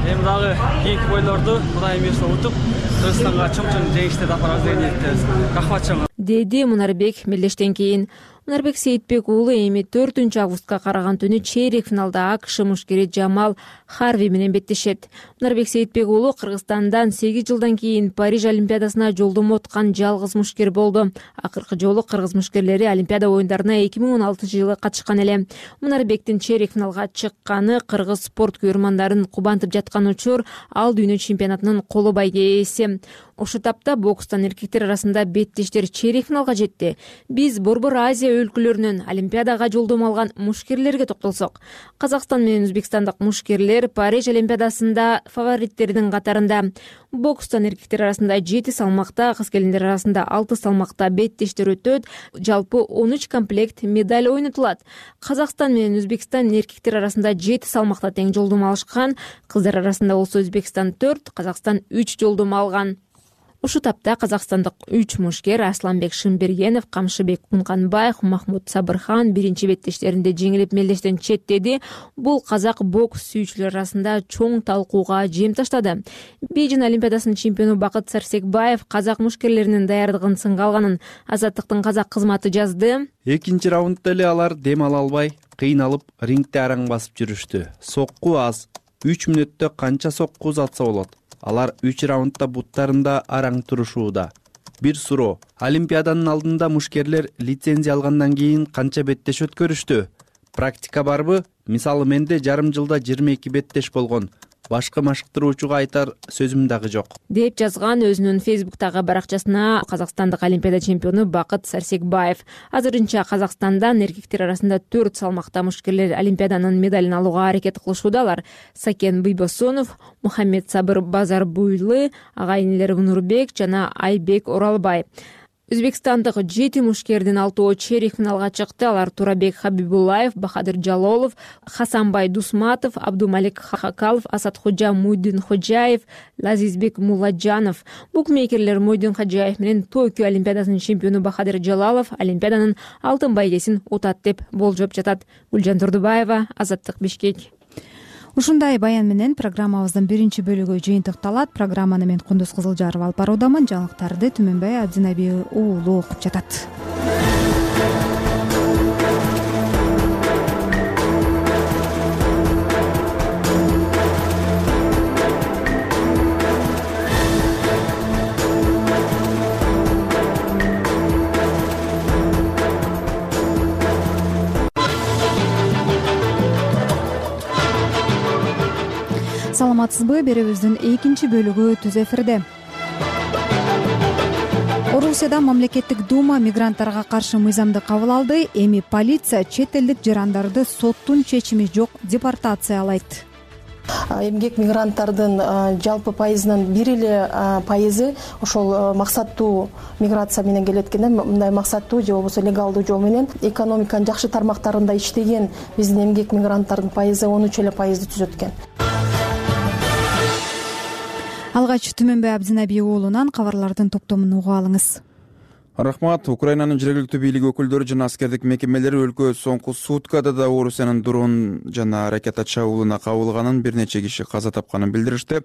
Эми дагы кийинки бойлорду Кудайым буйрса утуп, Кыргызстанга чоң жеңишти тапарабыз деген ниеттебиз. Рахмат. Деди Мунарбек мелдештен кийин. Мунарбек Сейитбек уулу эми 4-августка караган түнү чейрек финалда АКШ мушкери Джамал Харви менен беттешет. Мунарбек Сейитбек уулу Кыргызстандан 8 жылдан кийин Париж Олимпиадасына жолдомо откан жалгыз мушкер болду. Акыркы жолу кыргыз мушкерлери Олимпиада оюндарына 2016-жылы катышкан эле. Мунарбектин чейрек финалга чыкканы кыргыз спорт күйөрмандарын кубантып жаткан учур ал дүйнө чемпионатынын коло байге ээси. Ошол тапта бокстан эркектер арасында беттештер чейрек финалга жетти. Биз Борбор Азия өлкөлөрүнөн Олимпиадага жолдомо алган мушкерлерге токтолсок, Казакстан менен Өзбекстандык мушкерлер Париж Олимпиадасында фавориттердин катарында. Бокстан эркектер арасында 7 салмакта, кыз келиндер арасында 6 салмакта беттештер өтөт. Жалпы 13 комплект медаль ойнотулат. Казакстан менен Өзбекстан эркектер арасында 7 салмакта тең жолдомо алышкан. Кыздар арасында болсо Өзбекстан 4, Казакстан 3 жолдомо алган. Ушу тапта казакстандык 3 мушкер Асланбек Шымбергенов, Камшыбек Кунканбаев, Махмуд Сабырхан биринчи беттештеринде жеңилип мелдештен четтеди. Бул казак бокс сүйүүчүлөр арасында чоң талкууга жем таштады. Бейжин Олимпиадасынын чемпиону Бакыт Сарсекбаев казак мушкерлеринин даярдыгын сынга алганын Азаттыктын казак кызматы жазды. Экинчи раундда эле алар дем ала албай, кыйналып, рингде араң басып жүрүштү. Сокку аз. 3 мүнөттө канча сокку узатса болот? Алар 3 раундда буттарында араң турушууда. Бир суроо. Олимпиаданын алдында мушкерлер лицензия алгандан кийин канча беттеш өткөрүштү? Практика барбы? Мисалы менде жарым жылда 22 беттеш болгон. Башка машыктыруучуга айтар сөзүм дагы жок. Деп жазган өзүнүн Фейсбуктагы баракчасына казакстандык Олимпиада чемпиону Бакыт Сарсекбаев. Азырынча Казакстандан эркектер арасында 4 салмакта мушкерлер Олимпиаданын медалин алууга аракет кылышуудалар. Сакен Бийбосонов, Мухаммед Сабыр Базарбуйлы, ага инелер Нурбек жана Айбек Оралбай. Өзбекстандык 7 мушкердин 6 чейрек финалга чыкты. Алар Турабек Хабибуллаев, Бахадыр Жалолов, Хасанбай Дусматов, Абдумалик Хакалов, Асадхожа Муйдинхожаев, Лазизбек Мулладжанов. Букмекерлер Муйдинхожаев менен Токио Олимпиадасынын чемпиону Бахадыр Жалалов Олимпиаданын алтын байгесин утат деп болжоп жатат. Гүлжан Турдубаева, Азаттык, Бишкек. Ушундай баян менен программабыздын биринчи бөлүгү жыйынтыкталат. Программаны мен Кундуз Кызылжарова алып баруудамын. Жаңылыктарды Түмөнбай Абдинаби уулу окуп жатат. Саламатсызбы? Берүүбүздүн экинчи бөлүгү түз эфирде. Орусияда мамлекеттик дума мигранттарга каршы мыйзамды кабыл алды. Эми полиция чет элдик жарандарды соттун чечими жок депортациялайт. Эмгек мигранттардын жалпы пайызынын 1,5% ошол максаттуу миграция менен келет экен. Мындай максаттуу же болбосо легалдуу жол менен экономиканын жакшы тармактарында иштеген биздин эмгек мигранттардын пайызы 13% түзөт экен. Алгач Түмөнбай Абдинаби уулунан кабарлардын топтомун угуп алыңыз. Рахмат. Украинанын жергиликтүү бийлик өкүлдөрү жана аскердик мекемелери өлкө соңку суткада да Орусиянын дрон жана ракета чабуулуна кабылганын, бир нече киши каза тапканын билдиришти.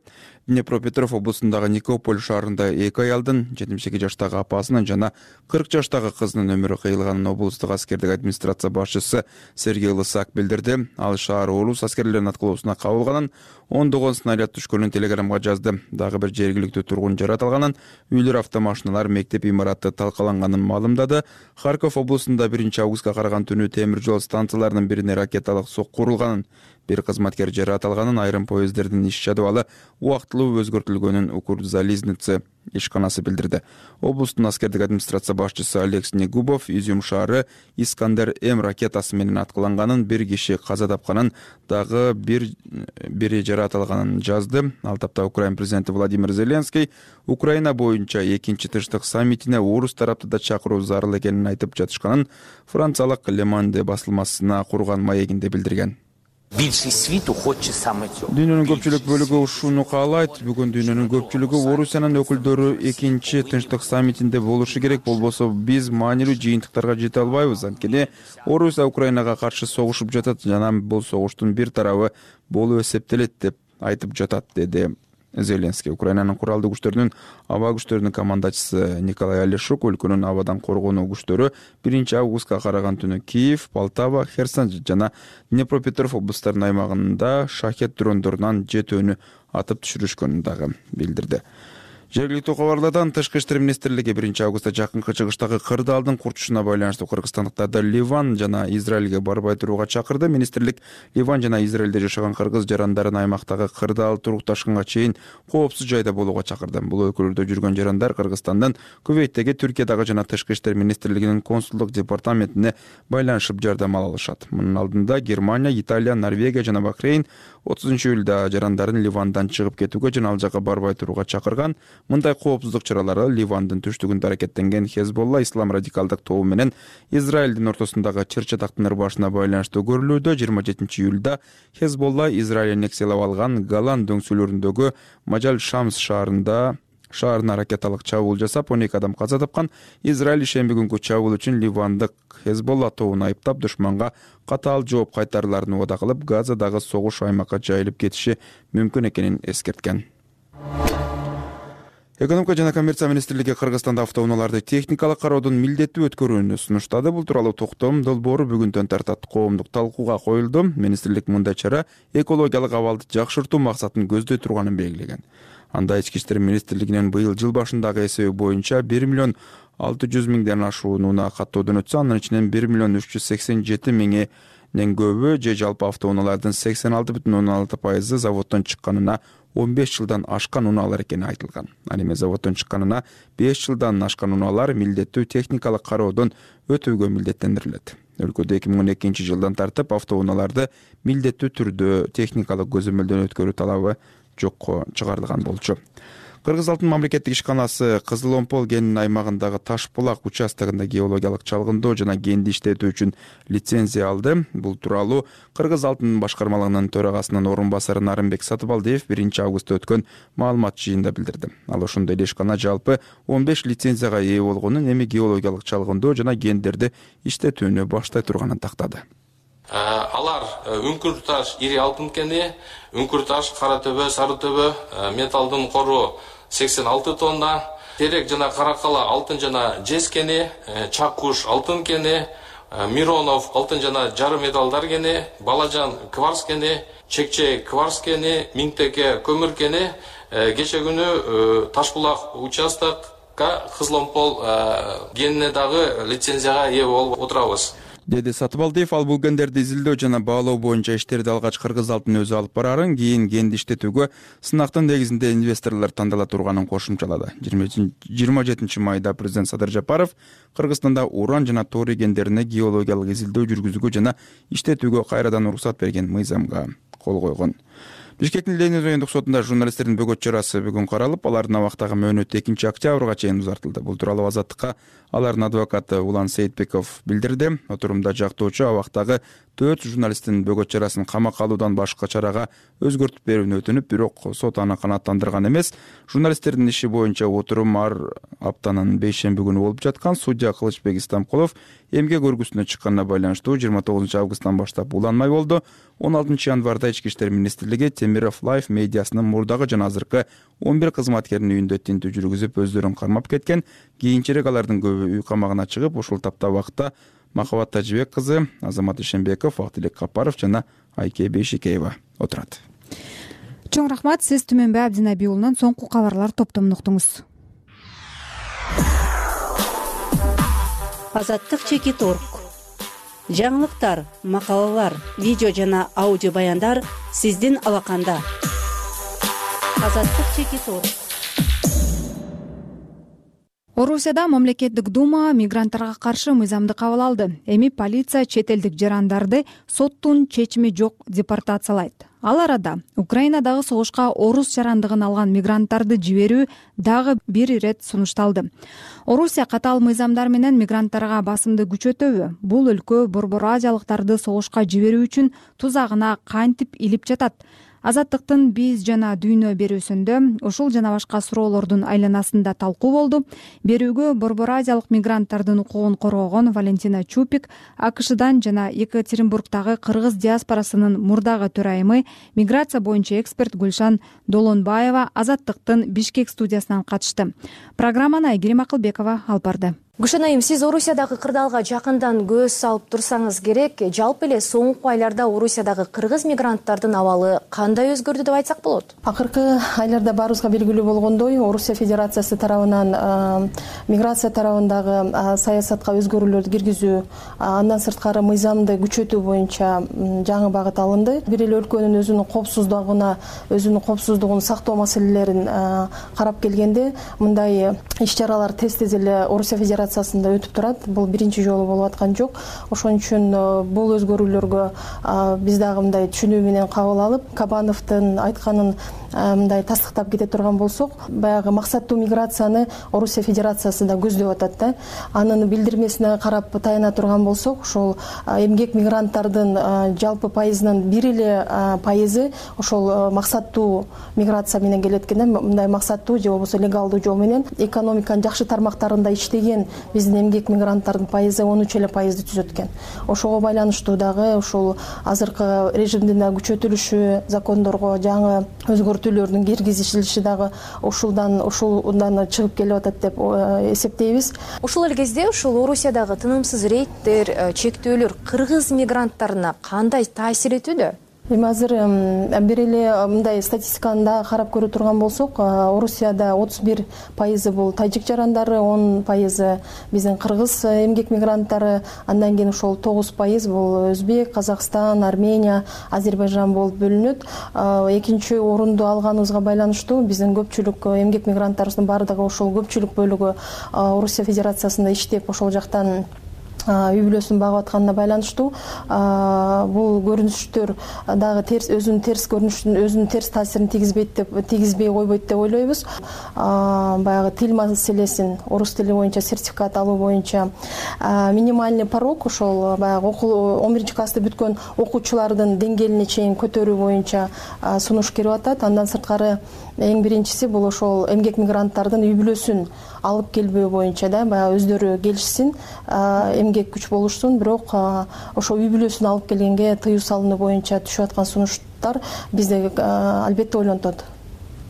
Днепропетровск облусундагы Никополь шаарында 2 аялдын 72 жаштагы апасынын жана 40 жаштагы кызынын өмүрү кыйылганын облустук аскердик администрация башчысы Сергей Лысак билдирди. Ал шаар орус аскерлеринин аткылоосуна кабылганын, ондогон снаряд түшкөнүн телеграмга жазды. Дагы бир жергиликтүү тургун жаратылганын, үйлөр, автомашиналар, мектеп имараты талкаланганын маалымдады. Харьков облусунда 1-августка караган түнү темир жол станцияларынын бирине ракеталык сокку урулганын, бир кызматкер жаратылганын, айрым поезддердин иш жадыбалы убактылуу өзгөртүлгөнүн Укрзализница ишканасы билдирди. Облустун аскердик администрация башчысы Алекс Негубов Изюм шаары Искандер М ракетасы менен аткыланганын, бир киши каза тапканын, дагы бири жаратылганын жазды. Ал тапта Украина президенти Владимир Зеленский Украина боюнча экинчи тынчтык саммитине орус тарапты да чакыруу зарыл экенин айтып жатышканын франциялык Le Monde басылмасына курган маегинде билдирген. Дүйнөнүн көпчүлүк бөлүгү ушуну каалайт. Бүгүн дүйнөнүн көпчүлүгү Орусиянын өкүлдөрү экинчи тынчтык саммитинде болушу керек. Болбосо биз маанилүү жыйынтыктарга жете албайбыз. Анткени Орусия Украинага каршы согушуп жатат жана бул согуштун бир тарабы болуп эсептелет деп айтып жатат, деди Зеленский. Украинанын куралдуу күчтөрүнүн аба күчтөрүнүн командачысы Николай Алешук өлкөнүн абадан коргонуу күчтөрү 1-августка караган түнү Киев, Полтава, Херсон жана Днепропетровск облустарынын аймагында шахет дрондорунан 7 атып түшүрүшкөнүн дагы билдирди. Жергиликтүү кабарлардан Тышкы иштер министрлиги 1-августта жакынкы чыгыштагы кырдаалдын курчушуна байланыштуу кыргызстандыктарды Ливан жана Израилге барбай турууга чакырды. Министрлик Ливан жана Израилде жашаган кыргыз жарандарын аймактагы кырдаал турукташканга чейин коопсуз жайда болууга чакырды. Бул өлкөлөрдө жүргөн жарандар Кыргызстандын Кувейттеги Түркиядагы жана Тышкы иштер министрлигинин консулдук департаментине байланышып жардам ала алышат. Мунун алдында Германия, Италия, Норвегия жана Бахрейн 30-июлда жарандарын Ливандан чыгып кетүүгө жана ал жакка барбай турууга чакырган. Мындай коопсуздук чаралары Ливандын түштүгүндө аракеттенген Хезболла ислам радикалдык тобу менен Израилдин ортосундагы чыр-чатактын ырбашына байланыштуу көрүлүүдө. 27-июлда Хезболла Израиль аннексиялап алган Голан дөңсөлөрүндөгү Мажаль Шамс шаарына ракеталык чабуул жасап, 12 адам каза тапкан. Израиль ишемби күнгү чабуул үчүн Ливандык Хезболла тобун айыптап, душманга катаал жооп кайтарыларын убада кылып, Газадагы согуш аймакка жайылып кетиши мүмкүн экенин эскерткен. Экономика жана коммерция министрлиги Кыргызстанда автоунааларды техникалык кароодон милдеттүү өткөрүүнү сунуштады. Бул тууралуу токтом долбоору бүгүндөн тартат коомдук талкууга коюлду. Министрлик мындай чара экологиялык абалды жакшыртуу максатын көздөй турганын белгилеген. Анда ички иштер министрлигинин быйыл жыл башындагы эсеби боюнча 1,6 миллион ашуун унаа каттоодон өтсө, анын ичинен 1,387,000 көбү же жалпы автоунаалардын 86,6% заводдон чыкканына 15 жылдан ашкан унаалар экени айтылган. Ал эми заводдон чыкканына 5 жылдан ашкан унаалар милдеттүү техникалык кароодон өтүүгө милдеттендирилет. Өлкөдө 2012 жылдан тартып автоунааларды милдеттүү түрдө техникалык көзөмөлдөн өткөрүү талабы жокко чыгарылган болчу. Кыргыз алтын мамлекеттик ишканасы Кызыл Омпол кен аймагындагы Таш булак участогунда геологиялык чалгындоо жана кенди иштетүү үчүн лицензия алды. Бул тууралуу Кыргыз алтын башкармалыгынын төрагасынын орун басары Нарымбек Сатыбалдиев 1-августта өткөн маалымат жыйынында билдирди. Ал ошондой эле ишкана жалпы 15 лицензияга ээ болгонун, эми геологиялык чалгындоо жана кендерди иштетүүнү баштай турганын тактады. Алар Үңкүр таш ири алтын кени, Үңкүр таш, Кара төбө, Сары төбө, металдын кору 86 тонна, Терек жана Каракала алтын жана жез кени, Чаккуш алтын кени, Миронов алтын жана жары металдар кени, Балажан кварц кени, Чекче кварц кени, Миңтеке көмүр кени. Кече күнү Ташбулак участокка Кызыл Омпол кенине дагы лицензияга ээ болуп отурабыз, деди Сатыбалдиев. Ал бул кендерди изилдөө жана баалоо боюнча иштерди алгач Кыргыз алтын өзү алып барарын, кийин кенди иштетүүгө сынактын негизинде инвесторлор тандала турганын кошумчалады. 27 майда президент Садыр Жапаров Кыргызстанда уран жана торий кендерине геологиялык изилдөө жүргүзүүгө жана иштетүүгө кайрадан уруксат берген мыйзамга кол койгон. Бишкектин Ленин райондук сотунда журналисттердин бөгөт чарасы бүгүн каралып, алардын абактагы мөөнөтү 2-октябрга чейин узартылды. Бул тууралуу Азаттыкка алардын адвокаты Улан Сейитбеков билдирди. Отурумда жактоочу абактагы 4 журналисттин бөгөт чарасын камакка алуудан башка чарага өзгөртүп берүүнү өтүнүп, бирок сот аны канааттандырган эмес. Журналисттердин иши боюнча отурум ар аптанын 5-шемби күнү болуп жаткан. Судья Кылычбек Истамкулов эмгек өргүсүнө чыкканына байланыштуу 29 августтан баштап уланмай болду. 16 январда Ички иштер министрлиги Темиров Лайф медиасынын мурдагы жана азыркы 11 кызматкеринин үйүндө тинтүү жүргүзүп, өздөрүн кармап кеткен. Кийинчерээк алардын көбү үй камагына чыгып, ушул тапта убакытта Махабат Тажибек кызы, Азамат Ишенбеков, Актилек Капаров жана Айке Бейшикеева отурат. Чоң рахмат. Сиз Түмөнбай Абдинабий уулунан соңку кабарлар топтомун уктуңуз. Азаттык чекит орг. Жаңылыктар, макалалар, видео жана аудио баяндар сиздин алаканда. Азаттык чекит орг. Орусияда мамлекеттик дума мигранттарга каршы мыйзамды кабыл алды. Эми полиция чет элдик жарандарды соттун чечими жок депортациялайт. Ал арада Украинадагы согушка орус жарандыгын алган мигранттарды жиберүү дагы бир ирет сунушталды. Орусия катаал мыйзамдар менен мигранттарга басымды күчөтөбү? Бул өлкө Борбор Азиялыктарды согушка жиберүү үчүн тузагына кантип илип жатат? Азаттыктын биз жана дүйнө берүүсүндө ушул жана башка суроолордун айланасында талкуу болду. Берүүгө Борбор Азиялык мигранттардын укугун коргогон Валентина Чупик, АКШдан жана Екатеринбургдагы кыргыз диаспорасынын мурдагы төрайымы, миграция боюнча эксперт Гүлшан Долонбаева Азаттыктын Бишкек студиясынан катышты. Программаны Айгерим Акылбекова алып барды. Гүлшан айым, сиз Орусиядагы кырдаалга жакындан көз салып турсаңыз керек. Жалпы эле соңку айларда Орусиядагы кыргыз мигранттардын абалы кандай өзгөрдү деп айтсак болот? Акыркы айларда баарыбызга белгилүү болгондой, Орусия Федерациясы тарабынан миграция тарабындагы саясатка өзгөрүүлөрдү киргизүү, андан сырткары мыйзамды күчөтүү боюнча жаңы багыт алынды. Бир эле өлкөнүн өзүнүн коопсуздугун сактоо маселелерин карап келгенде, мындай иш-чаралар тез эле Орусия Федерациясында өтүп турат. Бул биринчи жолу болуп аткан жок. Ошон үчүн бул өзгөрүүлөргө биз дагы мындай түшүнүү менен кабыл алып, Кабановдун айтканын мындай тастыктап кете турган болсок, баягы максаттуу миграцияны Орусия Федерациясында көздөп атат да. Анын билдирмесине карап таяна турган болсок, ошол эмгек мигранттардын жалпы пайызынын бир эле пайызы ошол максаттуу миграция менен келет экен. Мындай максаттуу же болбосо легалдуу жол менен экономиканын жакшы тармактарында иштеген биздин эмгек мигранттардын пайызы 13% түзөт экен. Ошого байланыштуу дагы ушул азыркы режимдин күчөтүлүшү, закондорго жаңы өзгөртүүлөрдүн киргизилиши дагы ушулдан чыгып келип атат деп эсептейбиз. Ушул эле кезде ушул Орусиядагы тынымсыз рейдтер, чектөөлөр кыргыз мигранттарына кандай таасир этүүдө? Эми азыр бир эле мындай статистиканы да карап көрө турган болсок, Орусияда 31% бул тажик жарандары, 10% биздин кыргыз эмгек мигранттары, андан кийин ошол 9% бул Өзбек, Казакстан, Армения, Азербайжан болуп бөлүнөт. Экинчи орунду алганыбызга байланыштуу биздин көпчүлүк эмгек мигранттарыбыздын баардыгы ошол көпчүлүк бөлүгү Орусия Федерациясында иштеп, ошол жактан үй бүлөсүн багып атканына байланыштуу бул көрүнүштөр дагы терс өзүнүн терс көрүнүшүн өзүнүн терс таасирин тийгизбей койбойт деп ойлойбуз. Баягы тил маселесин орус тили боюнча сертификат алуу боюнча минимальный порог ошол баягы 11 классты бүткөн окуучулардын деңгээлине чейин көтөрүү боюнча сунуш кирип атат. Андан сырткары эң биринчиси бул ошол эмгек мигранттардын үй бүлөсүн алып келбөө боюнча да баягы өздөрү келишсин, эмгек күч болушсун, бирок ошо үй бүлөсүн алып келгенге тыюу салынуу боюнча түшүп аткан сунуштар бизди албетте ойлонтот.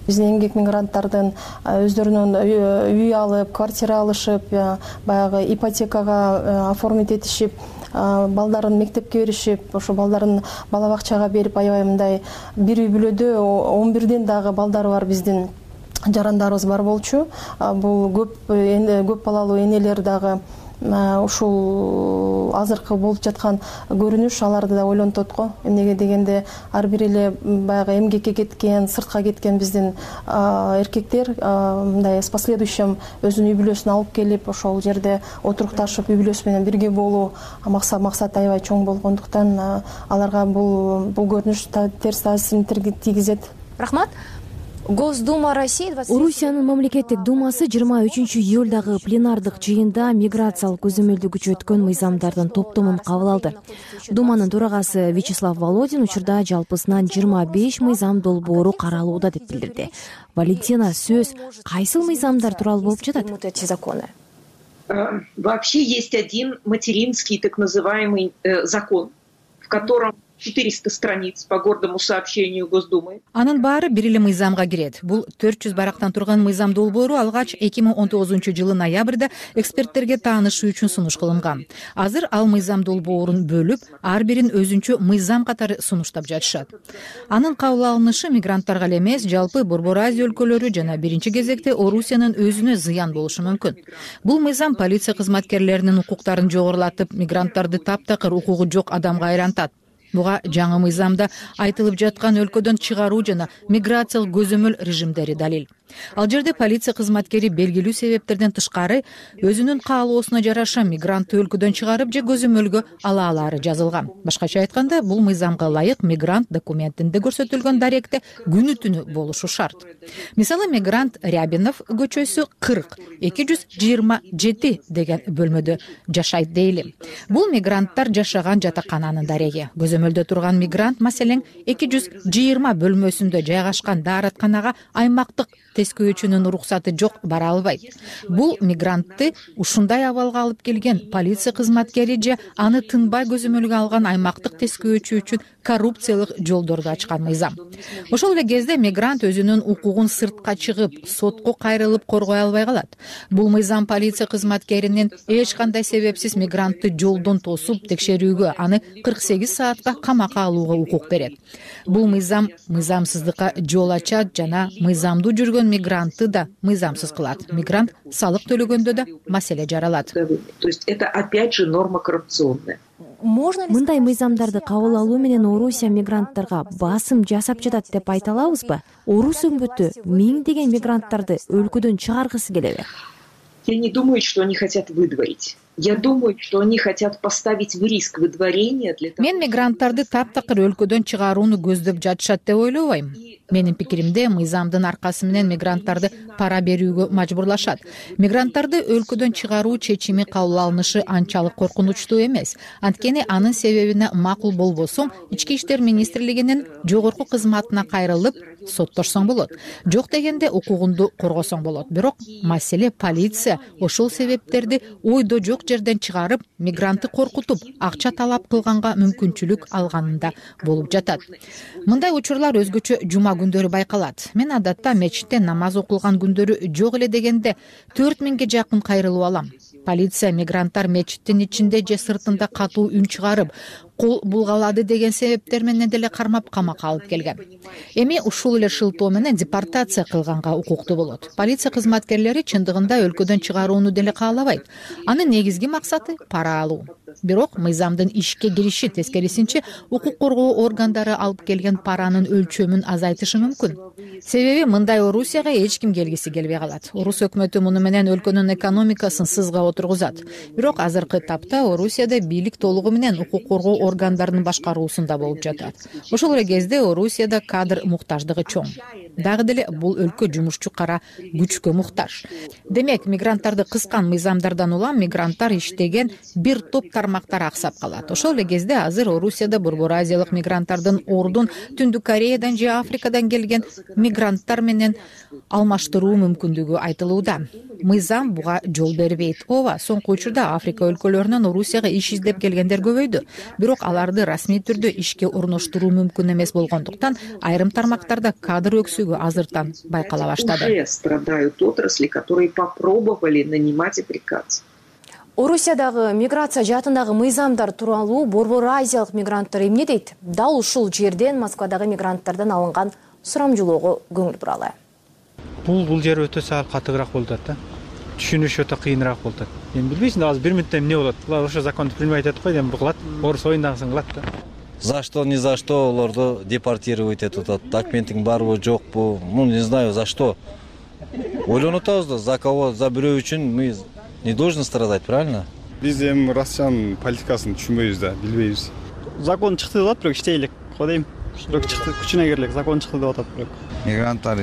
Биздин эмгек мигранттардын өздөрүнүн үй алып, квартира алышып, баягы ипотекага оформить этишип, балдарын мектепке беришип, ошо балдарын бала бакчага берип, аябай мындай бир үй бүлөдө 11ден дагы балдары бар биздин жарандарыбыз бар болчу. Бул көп балалуу энелер дагы ушул азыркы болуп жаткан көрүнүш аларды да ойлонтот го. Эмнеге дегенде ар бир эле баягы эмгекке кеткен, сыртка кеткен биздин эркектер мындай с последующим өзүнүн үй бүлөсүн алып келип, ошол жерде отурукташып, үй бүлөсү менен бирге болуу максат аябай чоң болгондуктан аларга бул көрүнүш терс таасирин тийгизет. Рахмат. Госдума России Орусиянын мамлекеттик думасы 23-июлдагы пленардык жыйында миграциялык көзөмөлдөгүчө өткөн мыйзамдардын топтомун кабыл алды. Думанын төрагасы Вячеслав Володин учурда жалпысынан 25 мыйзам долбоору каралууда деп билдирди. Валентина, сөз кайсыл мыйзамдар тууралуу болуп жатат? Вообще есть один материнский так называемый закон, в котором 400 страниц по гордому сообщению Госдумы. Анын баары бир эле мыйзамга кирет. Бул 400 барактан турган мыйзам долбоору алгач 2019-жылы ноябрда эксперттерге таанышуу үчүн сунуш кылынган. Азыр ал мыйзам долбоорун бөлүп, ар бирин өзүнчө мыйзам катары сунуштап жатышат. Анын кабыл алынышы мигранттарга эле эмес, жалпы Борбор Азия өлкөлөрү жана биринчи кезекте Орусиянын өзүнө зыян болушу мүмкүн. Бул мыйзам полиция кызматкерлеринин укуктарын жогорулатып, мигранттарды таптакыр укугу жок адамга айлантат. Буга жаңы мыйзамда айтылып жаткан өлкөдөн чыгаруу жана миграциялык көзөмөл режимдери далил. Ал жерде полиция кызматкери белгилүү себептерден тышкары өзүнүн каалоосуна жараша мигрантты өлкөдөн чыгарып же көзөмөлгө ала алары жазылган. Башкача айтканда, бул мыйзамга ылайык мигрант документинде көрсөтүлгөн даректе күнү түнү болушу шарт. Мисалы, мигрант Рябинов көчөсү 40-227 деген бөлмөдө жашайт дейли. Бул мигранттар жашаган жатакананын дареги. Көзөмөлдө турган мигрант маселен 220 бөлмөсүндө жайгашкан дааратканага аймактык тескөөчүнүн уруксаты жок бара албайт. Бул мигрантты ушундай абалга алып келген полиция кызматкери же аны тынбай көзөмөлгө алган аймактык тескөөчү үчүн коррупциялык жолдорду ачкан мыйзам. Ошол эле кезде мигрант өзүнүн укугун сыртка чыгып, сотко кайрылып коргой албай калат. Бул мыйзам полиция кызматкеринин эч кандай себепсиз мигрантты жолдон тосуп текшерүүгө, аны 48 саатка камакка алууга укук берет. Бул мыйзам мыйзамсыздыкка жол ачат жана мыйзамдуу жүргөн мигрантты да мыйзамсыз кылат. Мигрант салык төлөгөндө да маселе жаралат. То есть это опять же норма коррупционная. Мындай мыйзамдарды кабыл алуу менен Орусия мигранттарга басым жасап жатат деп айта алабызбы? Орус өңбөтү миңдеген мигранттарды өлкөдөн чыгаргысы келеби? Я не думаю, что они хотят выдворить. Я думаю, что они хотят поставить в риск выдворения для того. Мен мигранттарды таптакыр өлкөдөн чыгарууну көздөп жатышат деп ойлобойм. Менин пикиримде, мыйзамдын аркасы менен мигранттарды пара берүүгө мажбурлашат. Мигранттарды өлкөдөн чыгаруу чечими кабыл алынышы анчалык коркунучтуу эмес. Анткени анын себебине макул болбосоң, Ички иштер министрлигинин жогорку кызматына кайрылып соттошсоң болот. Жок дегенде укугунду коргосоң болот. Бирок маселе полиция ошол себептерди ойдо жок жерден чыгарып, мигрантты коркутуп, акча талап кылганга мүмкүнчүлүк алганында болуп жатат. Мындай учурлар өзгөчө жума күндөрү байкалат. Мен адатта мечитте намаз окулган күндөрү жок эле дегенде 4000ге жакын кайрылуу алам. Полиция мигранттар мечиттин ичинде же сыртында катуу үн чыгарып, кул булгалады деген себептер менен деле кармап камакка алып келген. Эми ушул эле шылтоо менен депортация кылганга укуктуу болот. Полиция кызматкерлери чындыгында өлкөдөн чыгарууну деле каалабайт. Анын негизги максаты пара алуу. Бирок мыйзамдын ишке кириши тескерисинче укук коргоо органдары алып келген паранын өлчөмүн азайтышы мүмкүн. Себеби мындай Орусияга эч ким келгиси келбей калат. Орус өкмөтү муну менен өлкөнүн экономикасын сызга отургузат. Бирок азыркы тапта Орусияда бийлик толугу менен укук коргоо органдарынын башкаруусунда болуп жатат. Ошол эле кезде Орусияда кадр муктаждыгы чоң. Дагы деле бул өлкө жумушчу кара күчкө муктаж. Демек, мигранттарды кыскан мыйзамдардан улам мигранттар иштеген бир топ тармактар аксап калат. Ошол эле кезде азыр Орусияда борбор азиялык мигранттардын ордун Түндүк Кореядан же Африкадан келген мигранттар менен алмаштыруу мүмкүндүгү айтылууда. Мыйзам буга жол бербейт. Ооба, соңку учурда Африка өлкөлөрүнөн Орусияга иш издеп келгендер көбөйдү. Бирок аларды расмий түрдө ишке орноштуруу мүмкүн эмес болгондуктан айрым тармактарда кадр өксүгү азыртан байкала баштады. Уже страдают отрасли, которые попробовали нанимать африканцев. Орусиядагы миграция жаатындагы мыйзамдар тууралуу борбор азиялык мигранттар эмне дейт? Дал ушул жерден Москвадагы мигранттардан алынган сурамжылоого көңүл буралы. Бул жер өтө саат катыгыраак болуп атат да. Түшүнүш өтө кыйыныраак болуп атат. Эми билбейсиң, азыр 1 мүнөттө эмне болот? Булар ошо законду принимать этип койду, эми кылат. Орус оюндагысын кылат да. За что, ни за что олорду депортировать этип атат. Документиң барбы, жокпу? Ну, не знаю, за что. Ойлонуп атабыз да, за кого, за бирөө үчүн мы не должны страдать, правильно? Биз эми Россиянын политикасын түшүнбөйбүз да, билбейбиз. Закон чыкты деп атат, бирок иштейлик, кодейм. Бирок чыкты, күчүнө кирлик, закон чыкты деп атат бирок. Мигранттар